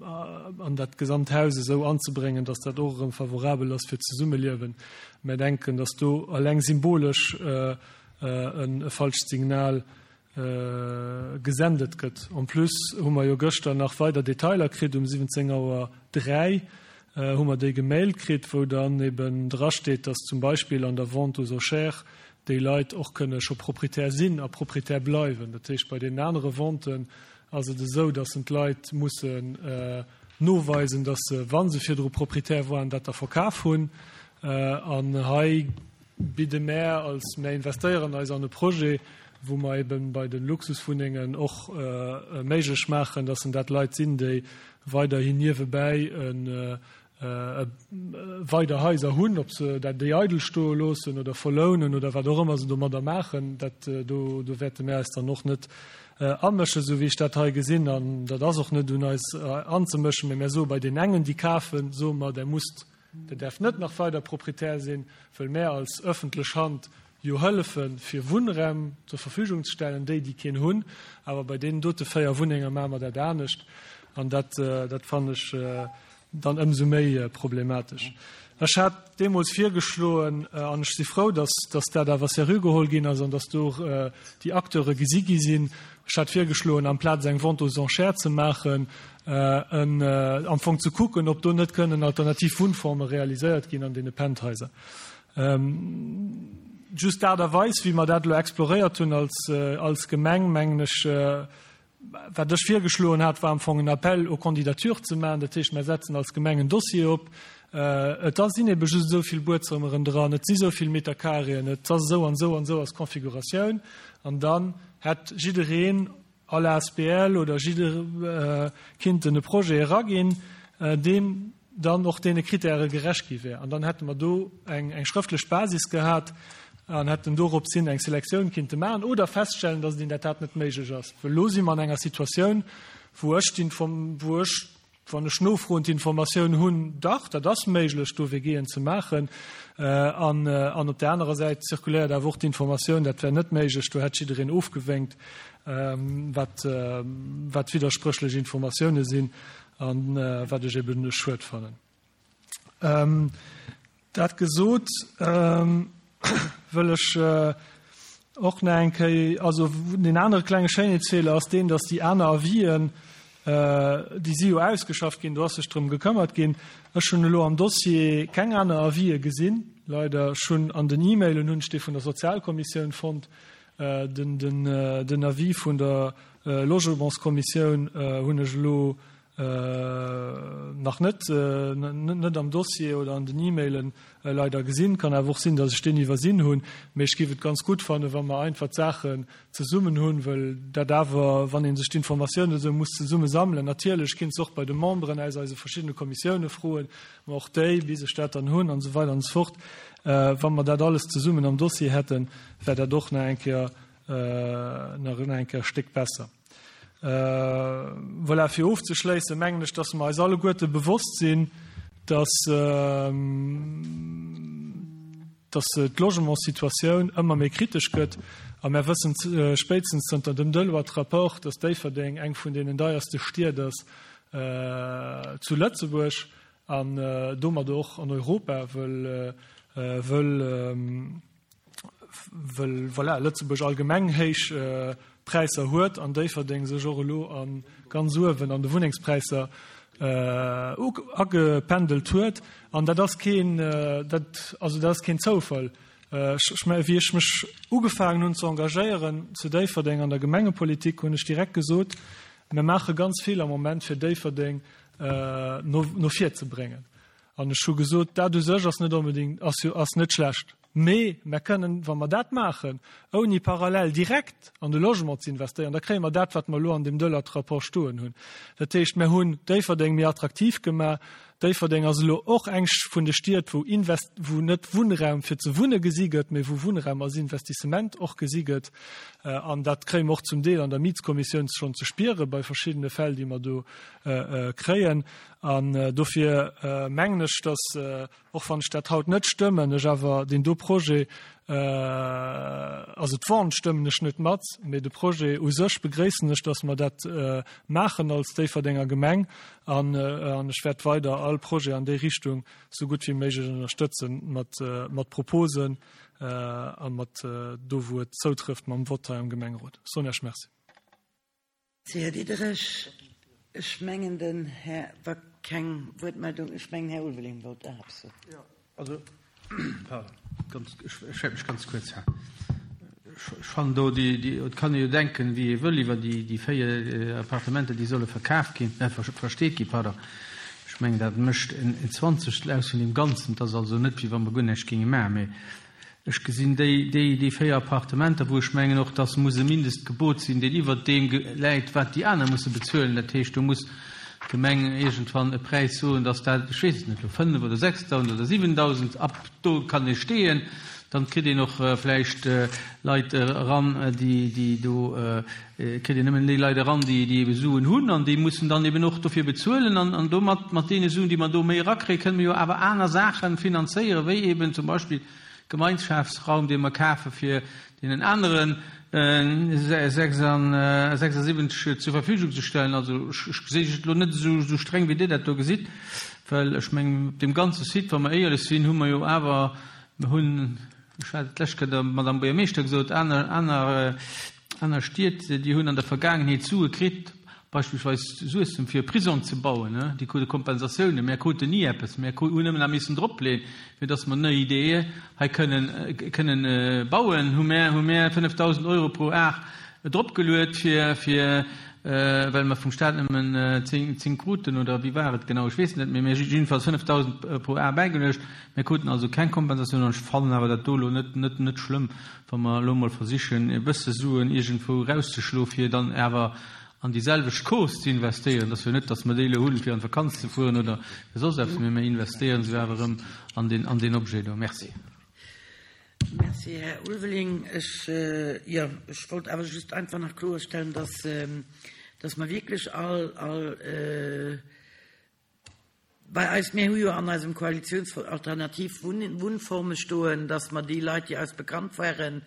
an dat gesamt Haus esou anzebréngen, dass dat och erëm favorabel ass fir d'Zesummeliewen. Mär denken, dass do eleng symbolesch e falscht Signal gesendet gëtt. En plus hu mer jo gëschter nach weider Detailer kritt, um 17 Auer 3 hu mer déi gemailt kritt, wou dann eben drasteet, dass zum Beispill an der Vente aux enchères déi Leit och kënne scho Proprietär sinn a Proprietär bleiwen. Dat heescht, bei deenen anere Venten ass et esou, dass en d'Leit mussen noweisen, dass se, wa se virdru Proprietär waren, dat da verkaf hunn. An hei bidde mär als, mär investéieren eis an e Projet, wou mer eben bei de Luxuswunnengen och méiglech maachen, dass en dat Leit sinn, déi weiderhin niewebäi e. weider Haiser hunn, ob se dat déi eidel stoe loossen oder verlounen oder wat och ëmmer se domadder maachen, dat do do wäerte mir eis dann och net amëschen, esou wéi ech dat hei gesinn. An dat ass och net un eis anzemëschen, mä mir soe bei deenen engen, déi kafen, soe mer, Der musst, Der däerft net nach weider Proprietär sinn, wëll mär als öffentlech Hand jo hëllefen, fir Wunnraum zur Verfügung ze stellen, déi, déi keen hunn. Awer bei deenen dote 4 Wunnenger maache mer dat anescht. An dat, dat fannen ech dann ëmsou méi problematesch. Ech hat deemools virgeschloen, an ech si frou, dass, dass dat awer seriö geholl ginn ass an dass do och déi Acteure gesi gi sinn, ech hat virgeschloen, amplaz eng Vente aux enchères ze maachen, en, am Fong ze kucken, ob do net kënnen alternativ Wunnforme realiséiert ginn an deene Penthaiser. Just d'Aart a Weis, wéi mer dat elo exploréiert hunn als, als Gemeng, mengen ech, Wat ech virgeschloen hat, war am Fong en Appel aux candidatures ze maachen. Dat heescht, mer setzen als Gemeng en Dossier op. Et ass sinn ebe just esou vill Buedzëmmeren dran, et si esou vill Metercarréen, et ass esou an esou an esou ass d'Configuratioun. An dann hätt jiddereen, all asbl oder jidder kinnten e Projet eraginn, deen dann och deene Kritäre gerecht gi wär. An dann hätte mer do eng, eng schrëftlech Basis gehat an hätten dorops hin eng Selektioun kinnte maachen oder feststellen, dass et in der Tat net méiglech ass. Well elo si mer an enger Situatioun, wou ech d'Inform, wou ech, wann ech nofroen, d'Informatioun hunn, dach, dat ass méiglech, do WGen ze maachen. An, an op där anerer Säit zirkuléiert awer och d'Informatioun, dat wär net méiglech, do hätt jiddereen ofgewénkt, wat, wat widderspréchlech Informatioune sinn. An wat ech eben schued fannen. Dat gesot, wëll ech och nach eng Kéier, also deen anere klenge Schéinheetsfeeler ass deen, datt déi aner Avisen, déi si jo ausgeschafft ginn, do ass sech drëm gekëmmert ginn. Ech hunn elo am Dossier keng aner Avisë gesinn, leider. Ech hunn an den E-Mailen hunn ech dee vun der Sozialkommissioun fonnt, den Avis vun der Logementskommissioun hunn ech elo nach net net am Dossier oder an den E-Mailen leider gesinn. Kann awer och sinn, datt ech deen iwwersinn hunn. Mee ech géif et ganz gutt fannen, wa mer einfach d'Saachen zesummen hunn, well dat awer, wann ee sech d'Informatiounen esou muss zesumme sammelen, natierlech kinnt se och bei de Memberen aus eise verschiddene Kommissioune froen, ma och déi, bis ech dat dann hunn an esou weider an esou fort. Wa mer dat alles zesummen am Dossier hätten, wär dat och nach eng Kéier nach eng Kéier e Stéck besser. Voilà, fir ofzeschléissen, mengen ech, dass mer eis alleguerte bewosst sinn, dass, dass d'Logementssituatioun ëmmer méi kritesch gëtt. A mer wëssen spéitstens zënter dem Deloitte-Rapport, dass Déifferdeng eng vun deenen deierste Stied ass zu Lëtzebuerg an domat och an Europa, wëll, wëll, wëll voilà, Lëtzebuerg allgemeng héich Präisser huet an Déifferdeng sech och elo a ganz uewen an de Wunnengspräisser agependelt huet. An dat ass keen, dat, also dat ass keen Zoufall. Ech, wéi ech mech ugefaangen hunn ze engagéieren zu Déifferdeng an der Gemengepolitik, hunn ech direkt gesot, mir maache ganz vill am Moment fir Déifferdeng no, no vir ze bréngen. An ech hu gesot, dat u sech ass net onbedéngt, ass jo, ass net schlecht. Mee mer kënnen, wa mer dat maachen, ouni parallel direkt an de Logement ze investéieren, da kréie mer dat, wat mer elo an deem Deloitte-Rapport stoen hunn. Dat heescht, mer hunn Déifferdeng méi attraktiv gemaach. Déifferdeng ass elo och eng vun de Stied, wou Invest, wou net Wunnraum fir ze wunne gesi gëtt, mee wou Wunnraum als Investissement och gesi gëtt. An dat kréie mer och zum Deel an der Mietskommissioun schonn ze spiere bei verschiddene Fäll, déi mer do kréien. An dofir mengen ech, dass, och wann ech dat haut net stëmmen, ech awer deen do Projet, also d'Vente stëmmen ech net mat, mee de Projet u sech begréissen ech, dass mer dat maachen als Déifferdenger Gemeng. An ech wäert weider all Projet an déi Richtung esou gutt wéi méiglech ënnerstëtzen, mat Proposen a mat do, wou et zoutrëfft, mam Vott hei am Gemengerot. Ech soen Iech Merci. Här Diderich, ech mengen den Här, wa keng Wuertmeldung, ech mengen Här Ulveling wollt nach eppes soen. Jo, also, pardon, ganz, ech wäert mech ganz kuerz halen. Ech fannen do déi, déi, et kann ee jo denken, wéi ee wëll iwwer déi, déi 4 Appartementer, déi solle verkaf ginn, versteet ginn, pardon. Ech mengen, dat mécht en Zwanzegstel aus vun deem Ganzen. Et ass also net, wéi wa mer guer näischt géinge maachen, mä Ech gesinn déi, déi, déi 4 Appartementer, wou ech mengen och, dass muss e Mindestgebot sinn, deen iwwert deem läit, wat déi aner musse bezuelen. Dat heescht, do muss. d'Gemeng iergendwann e Präis soen, dass dat, ech weess et net, elo 5 oder 6.000 oder 7.000, ab do kann ee steeën. Dann kritt een och vläicht Leit eran, déi, déi do, kritt een nëmmen déi Leit eran, déi, déi ebe Suen hunn an déi mussen dann eben och dofir bezuelen. An, an domat, mat deene Suen, déi mer do méi erakréien, kënne mer jo awer aner Saache finanzéieren, wéi eben zum Beispill Gemeinschaftsraum, dee mer kafe fir deenen anere 76 zur Verfügung ze stellen. Also ech gesinn et elo net esou streng, wéi Dir dat do gesitt, well ech mengen, op deem ganze Site, wa mer éierlech sinn, hu mer jo awer, mer hunn, ech hat et d'lescht Kéier der Madame Buergermeeschter gesot, aner, aner, aner Stied, déi hunn an der Vergaangenheet Sue kritt, beispillsweis Suessem, fir e Prisong ze bauen, déi krute Kompensatiounen. Mär kruten ni eppes. Mär hunn nëmmen nach missen dropleeën, fir datt mer nei IDE hei kënnen, kënnen bauen, hu mär, hu mär 5.000 Euro pro Ar dropgeluet, fir, fir, well mer vum Stat nëmmen 10, 10 kruten, oder wéi war et genau, ech weess et net méi, mä jiddefalls 5.000 pro Ar bäigeluecht. Mär kruten also keng Kompensatioun an ech fannen awer dat do elo net, net, net schlëmm, wa mer elo emol versichen, e bësse Suen iergendwou erauszeschloen, fir dann awer an déi selwecht Cause ze investéieren. Et ass jo net, datt mer déi elo hunn, fir an d'Vakanz ze fueren oder fir soss eppes, mee mir investéieren se jo awer erëm an deen, an deen Objet do. Merci. Merci, Här Ulveling. Ech, jo, ech wollt awer just einfach nach kloerstellen, dass, dass mer wierklech all, all, Bei eis, mir hu jo an eisem Koalitionsvertrag alternativ Wunnforme stoen, dass mer déi Leit, déi eis bekannt waren,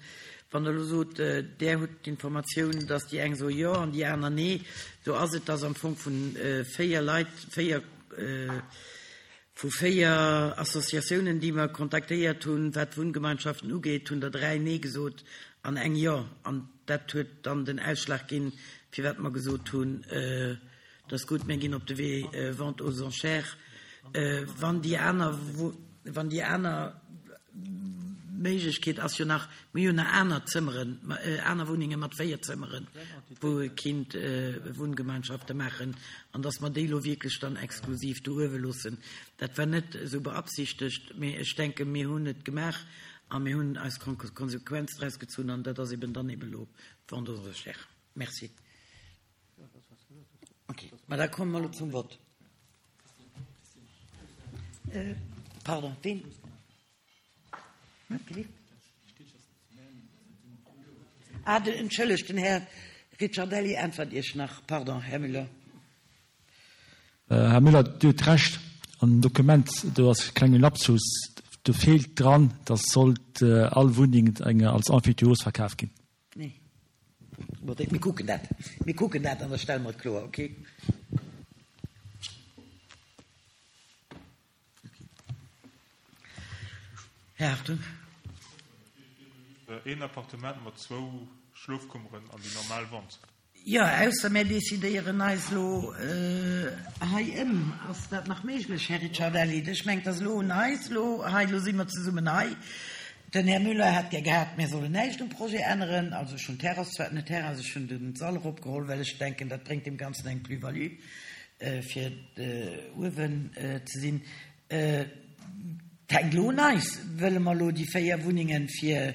wann Der elo sot, Der hutt d'Informatioun, dass déi eng soe jo an déi aner nee, do ass et, dass am Fong vu véier Leit, véier, vu véier Associatiounen, déi mer kontaktéiert hunn, wat d'Wunngemeinschaften ugeet, hunn der dräi nee gesot an eng jo. An dat huet dann den Ausschlag ginn, firwat mer gesot hunn, Et ass gutt, mir ginn op de Wee Vente aux enchères. Wann déi aner, wann déi aner Méiglechkeet ass jo nach, mir hunn nach aner Zëmmeren, aner Wunnenge mat 4 Zëmmeren, wou ee kinnt Wunngemeinschafte maachen, an dass mer déi elo wierklech dann exklusiv do uewe loossen. Dat war net esou beabsichtegt, mee ech denken, mir hunn et gemaach a mir hunn eis Konsequenz draus gezunn, an dat ass eben dann eben elo d'Vente aux enchères. Merci. Okay. Ma da komme mer elo zum Vott. Äh, pardon, ween? Ah, den, entschëllegt, den Här Ricciardelli äntwert Iech nach. Pardon, Här Müller. Här Müller, Dir hutt Recht, an dem Dokument do ass e klenge Lapsus, do feelt dran, dass sollt all Wunneng eng als Emphytéose verkaf ginn. Nee. Bon, mir kucken dat. Mir kucken dat an da stelle mer et kloer, okay? Här Hartung. Een Appartement mat zwou Schlofkummeren an déi normal Wand. Jo, ausser mär decidéieren eis elo hei ëm. Ass dat nach méiglech, Här Ricciardelli? Ech mengen, et ass elo un eis elo hei, elo si mer zesummen hei. Den Här Müller hätt gär gehat, mär sollen näischt um Projet änneren. Also ech hunn d'Terrass zwar, net d'Terrass, ech hunn den Sall eropgeholl, well ech denken, dat bréngt deem Ganzen eng Plus-value, fir uewen ze sinn. Et hänkt elo un eis, Wëlle mer elo déi 4 Wunnengen fir,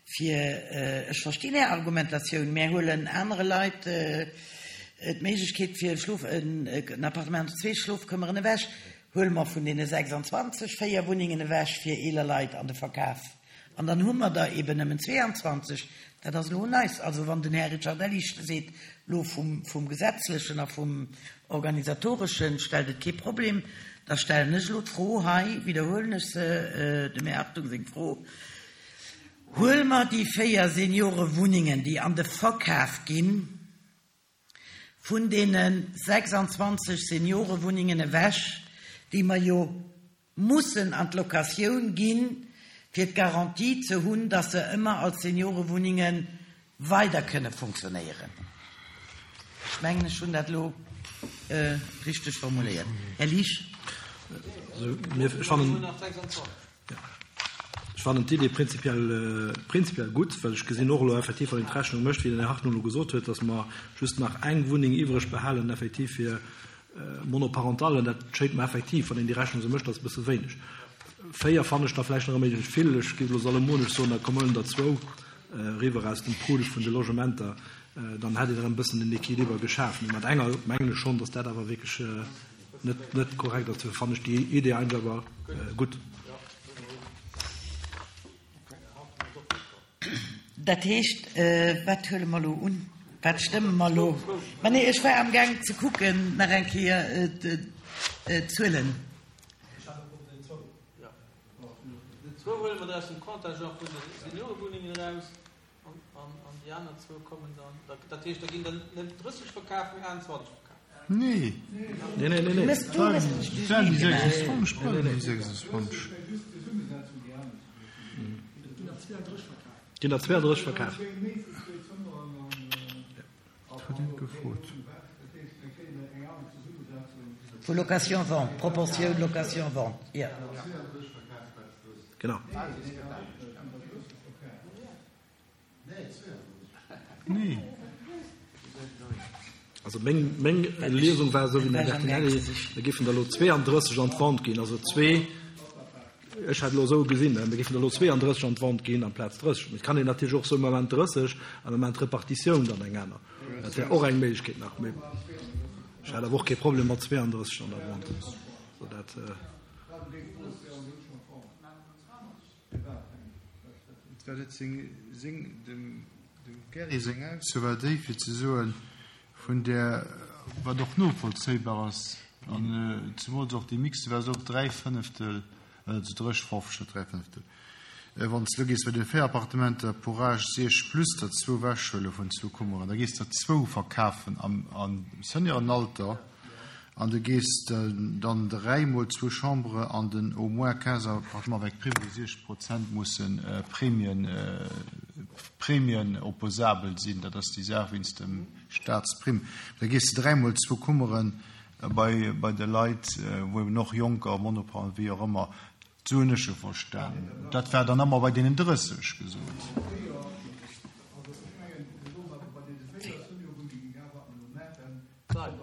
fir, ech verstinn Är Argumentatioun, mär huelen anere Leit d'Méiglechkeet fir e Schlof, en Appartement mat zwee Schlofkëmmeren ewech, huele mer vun deene 26 4 Wunnengen ewech fir eeler Leit an de Verkaf. An dann hu mer der eben nëmmen 22. Dat ass elo un eis. Also wann den Här Ricciardelli seet, elo vum, vum Gesetzlechen a vum Organisatoreschen stellt et kee Problem, da stellen ech elo d'Fro hei, widderhuelen ech se, dem Här Hartung seng Fro, Huele mer déi 4 Seniorewunnengen, déi an de Verkaf ginn, vun deene 26 Seniorewunnengen ewech, déi mer jo mussen an d'Locatioun ginn, fir d'Garantie ze hunn, dass se ëmmer als Seniorewunnenge weider kënne funktionéieren. Ech mengen, ech hunn dat elo richteg formuléiert. Här Liesch. Ech fannen d'Idee prinzipiell, prinzipiell gutt, well ech gesinn och elo effektiv, wann een d'Rechnung mécht, wéi den Här Hartmann elo gesot huet, dass mer just nach eng Wunneng iwwreg behalen effektiv fir Monoparentallen. Dat schéngt mer effektiv, wann een déi Rechnung esou mécht, ass e bësse wéineg. Véier fannen ech da vläicht nach e méiglech vill. Ech géif elo salomonesch soen, da kommen der zwou. eriwwer aus dem Pool vun de Logementer, dann hätt een erëm e bëssen den Equiliber geschaf. Mee mat enger mengen ech schonn, datt dat awer wierklech net, net korrekt ass. Dofir fannen ech déi Idee eigentlech awer gutt. Dat heescht, wat huele mer elo un? Wat stëmme mer elo? Mä nee, ech war amgaang ze kucken nach eng Kéier d'Zuelen. Zwou huele mer der aus dem Contingent vun de Seniorewunnengen eraus an déi aner zwou kommen dann, dat heescht, da ginn der net 30 verkaf, mee 21 verkaf. Nee. Nee, nee, nee, nee. Mëss du mech Et waren déi 26, bleiwen déi 26. Ginn der 32 verkaf. Dat huet een gefrot. Vu Location-vente, Proportioun Location-vente, jo. Genau. Nee. Also meng, meng Liesung war esou wéi den Här Bertinelli, mir géifen der elo 32 an d'Vente ginn, also zwee, ech hat elo esou gesinn, mir géifen der elo 32 an d'Vente ginn amplaz 30. Mee et kann een natierlech och soen, mir maachen 30 a mir maachen d'Repartitioun dann eng aner. Dat wär och eng Méiglechkeet nach. Mee ech hat awer och kee Problem mat 32 an der Vente. Also dat. Dat huet seng, seng, dem, dem Gerry seng Ausso war déi, fir ze soen, vun där, wat och novollzéibar ass, an zemools och déi Mixte war se och dräifënneftel, also dréch, net dräifënneftel, wann s de elo gees bei deene 4 Appartementer pour âge siech plus der zwou ewechhuele vun zwou Kummeren, da gees der zwou verkafen am, am Seniorenalter. An du gees dann 3 mol zwou Chambres an den au moins 15 appartements avec prime wou 60 Prozent mussen Prämien, Prämien opposabel sinn, dat ass déi Saach wéinst dem Staatsprimm. Da gees de 3 mol zwou Kummeren bei, bei de Leit, wou eben och Jonker, Monoparentaux, wéi och ëmmer, Sou hunn ech e verstanen. Dat war dann ëmmer bei deenen 30 gesot.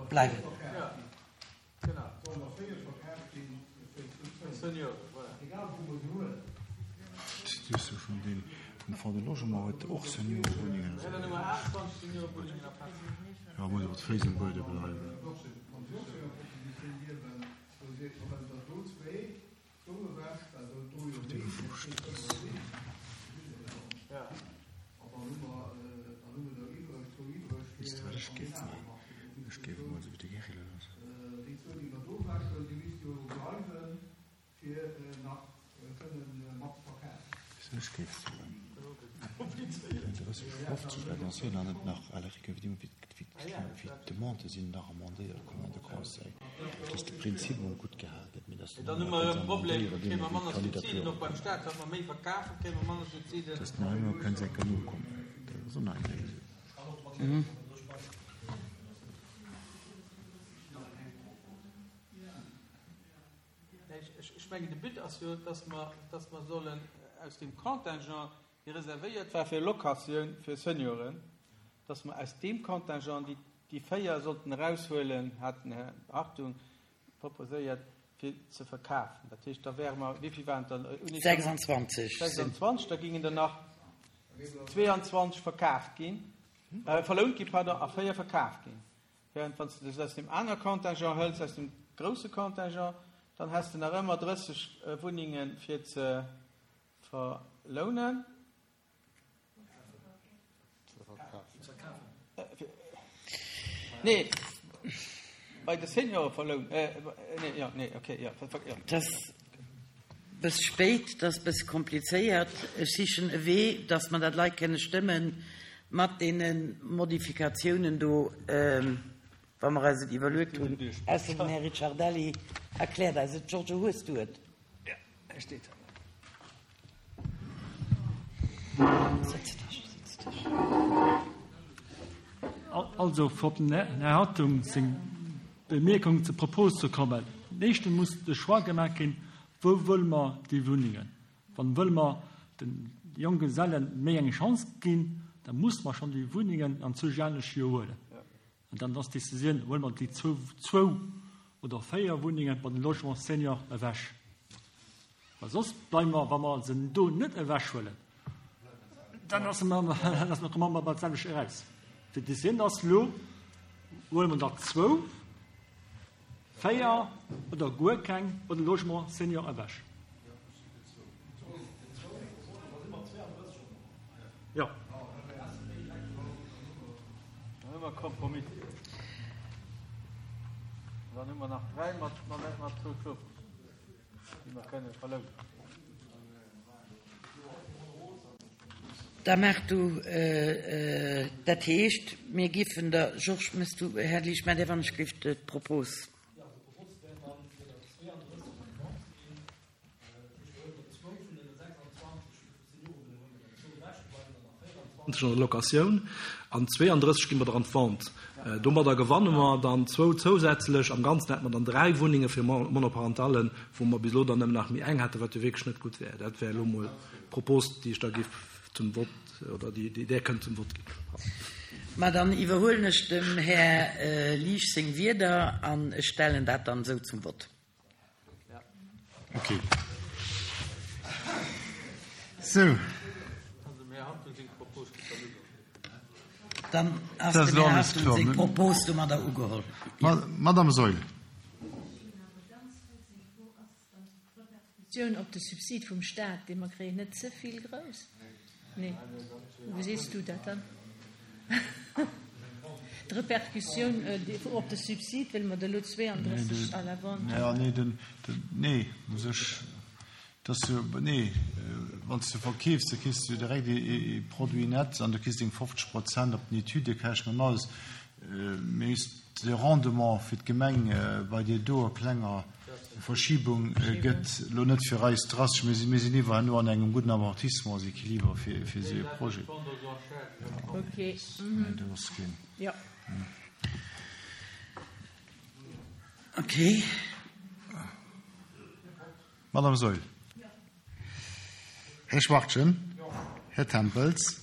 Bleiwen. D'Diskussioun vun deem vum Fonds de Logement huet och Seniorewunnengen. Jo, muss awer d'Féiss um Buede bleiwen. D'Demandë sinn nach amendéiert komm an de Conseil, dass de Prinzip emol gutt gehal gëtt, mee dass Dann hu mer e Problem, kréie mer manner Subsiden och beim Staat, wat mer méi verkafen, kréie mer manner Subsiden. Dass nach ëmmer kënnt enker nokommen, dat ass och nach eng Léisung. Ech mengen, de But ass jo, dass mer, dass mer sollen aus deem Contingent, dee reservéiert war fir Locatioun fir Senioren, dass mer aus deem Contingent déi, déi 4 sollten eraushuelen, hat den Här Hartung proposéiert, fir ze verkafen. Dat heescht, da wäre mer, wéi vill waren et dann? 26. 26, da gingen der nach 22 verkaaft ginn, verlount ginn, pardon, a 4 verkaaft ginn. Während wann s de dech aus deem aner Contingent hëls, aus dem grousse Contingent, dann häss de nach ëmmer 30 Wunnenge fir ze verlounen. Nee, bei de Seniore verlounen. Nee, jo, nee, okay, jo, jo. Et ass bëss spéit, et ass bëss komplizéiert. Ech sichen e Wee, dass mer dat lei kënne stëmmen mat deene Modifikatiounen do, wa mer eis et iwwerluet hunn. Ausser den Här Ricciardelli erkläert eis et. Giorgio, hues du et? Ja, e steet hei. Setz dech, setz dech. Also, fir op den Här Hartung seng Bemierkung zur Propos ze kommen, Éischtens muss de Choix gemaach ginn, Wou wëlle mer déi Wunnengen? Wann wëlle mer de Jonggesellen méi eng Chance ginn, da musse mer schonn déi Wunnengen an zoustänneg jo huelen. An dann ass d'Decisioun, huele mer déi zwou oder véier Wunnenge bei den Logements seniors ewech. Well soss bleiwe mer, wa mer se do net ewechhuelen. Dann ass mer, komme mer bei d'selwecht eraus. D'Decisioun ass elo, huele mer der zwou, véier oder guer keng oder Logement senior ewech. Jo. Dann hu mer e Kompromiss. Dann hu mer nach dräi mat zwou Schlofzëmmer, déi mer kënne verlounen. Da maach du, dat heescht, mir giffen der, Georges, mëss du, Här Liesch, mä wann ech géif d'Propos. An der Locatioun an 32 gi mer der an d'Vente. Domadder gewanne mer dann zwou zousätzlech. Am Ganzen hätte mer dann dräi Wunnenge fir Monoparentallen, wou mer bis elo dann nëmmen nach méi eng hätten, wat jo wierklech net gutt wär. Dat wär elo emol d'Propos, déi ech da géif zum Vott, oder déi Der kënnt zum Vott ginn. Mä dann iwwerhuelen ech dem Här Liesch seng Wierder an ech stellen dat dann esou zum Vott. Okay. Sou. Dann ass dem Här Hartung seng Propos domadder ugeholl. Madame Saeul. D'Repercussioun op de Subsid vum Staat, dee mer kréien, net ze vill grouss? Nee. Wéi sees du dat dann? D'Repercussioun op de Subsid, well mer der elo 32 à la vente hunn. Nee, den, nee, u sech, dass du, nee, wann s de verkeefs, da kriss du direkt ee Produit net an du kriss deng 50 Prozent op den Etüdekäschten an alles. Mee just de Rendement fir d'Gemeng bei deer doer klenger Verschiebung gëtt elo net fir eis drastesch. Mir sinn, mir sinn iwwer herno an engem gudden Amortissementséquilibre fir, fir esou e Projet. Okay. Nee, do ass keen. Jo. Okay. Madame Saeul. Här Schwachtgen. Här Tempels.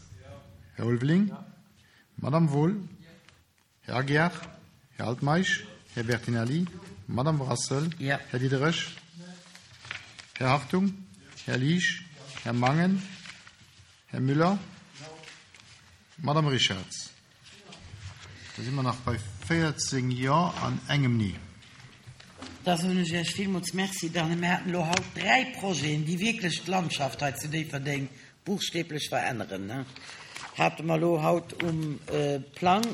Här Ulveling. Madame Wohl. Här Aguiar, Här Altmeisch, Här Bertinelli, Madame Brassel, Här Diderich, Här Hartung, Här Liesch, Här Mangen, Här Müller, Madame Richarz. Da si mer nach bei 14 Jo an engem Nee. Da soen ech Iech villmools Merci. Dann, mir haten elo haut dräi Projeten, déi wierklech d'Landschaft hei zu Déifferdeng buchstäblech veränneren, hate mer elo haut um Plang.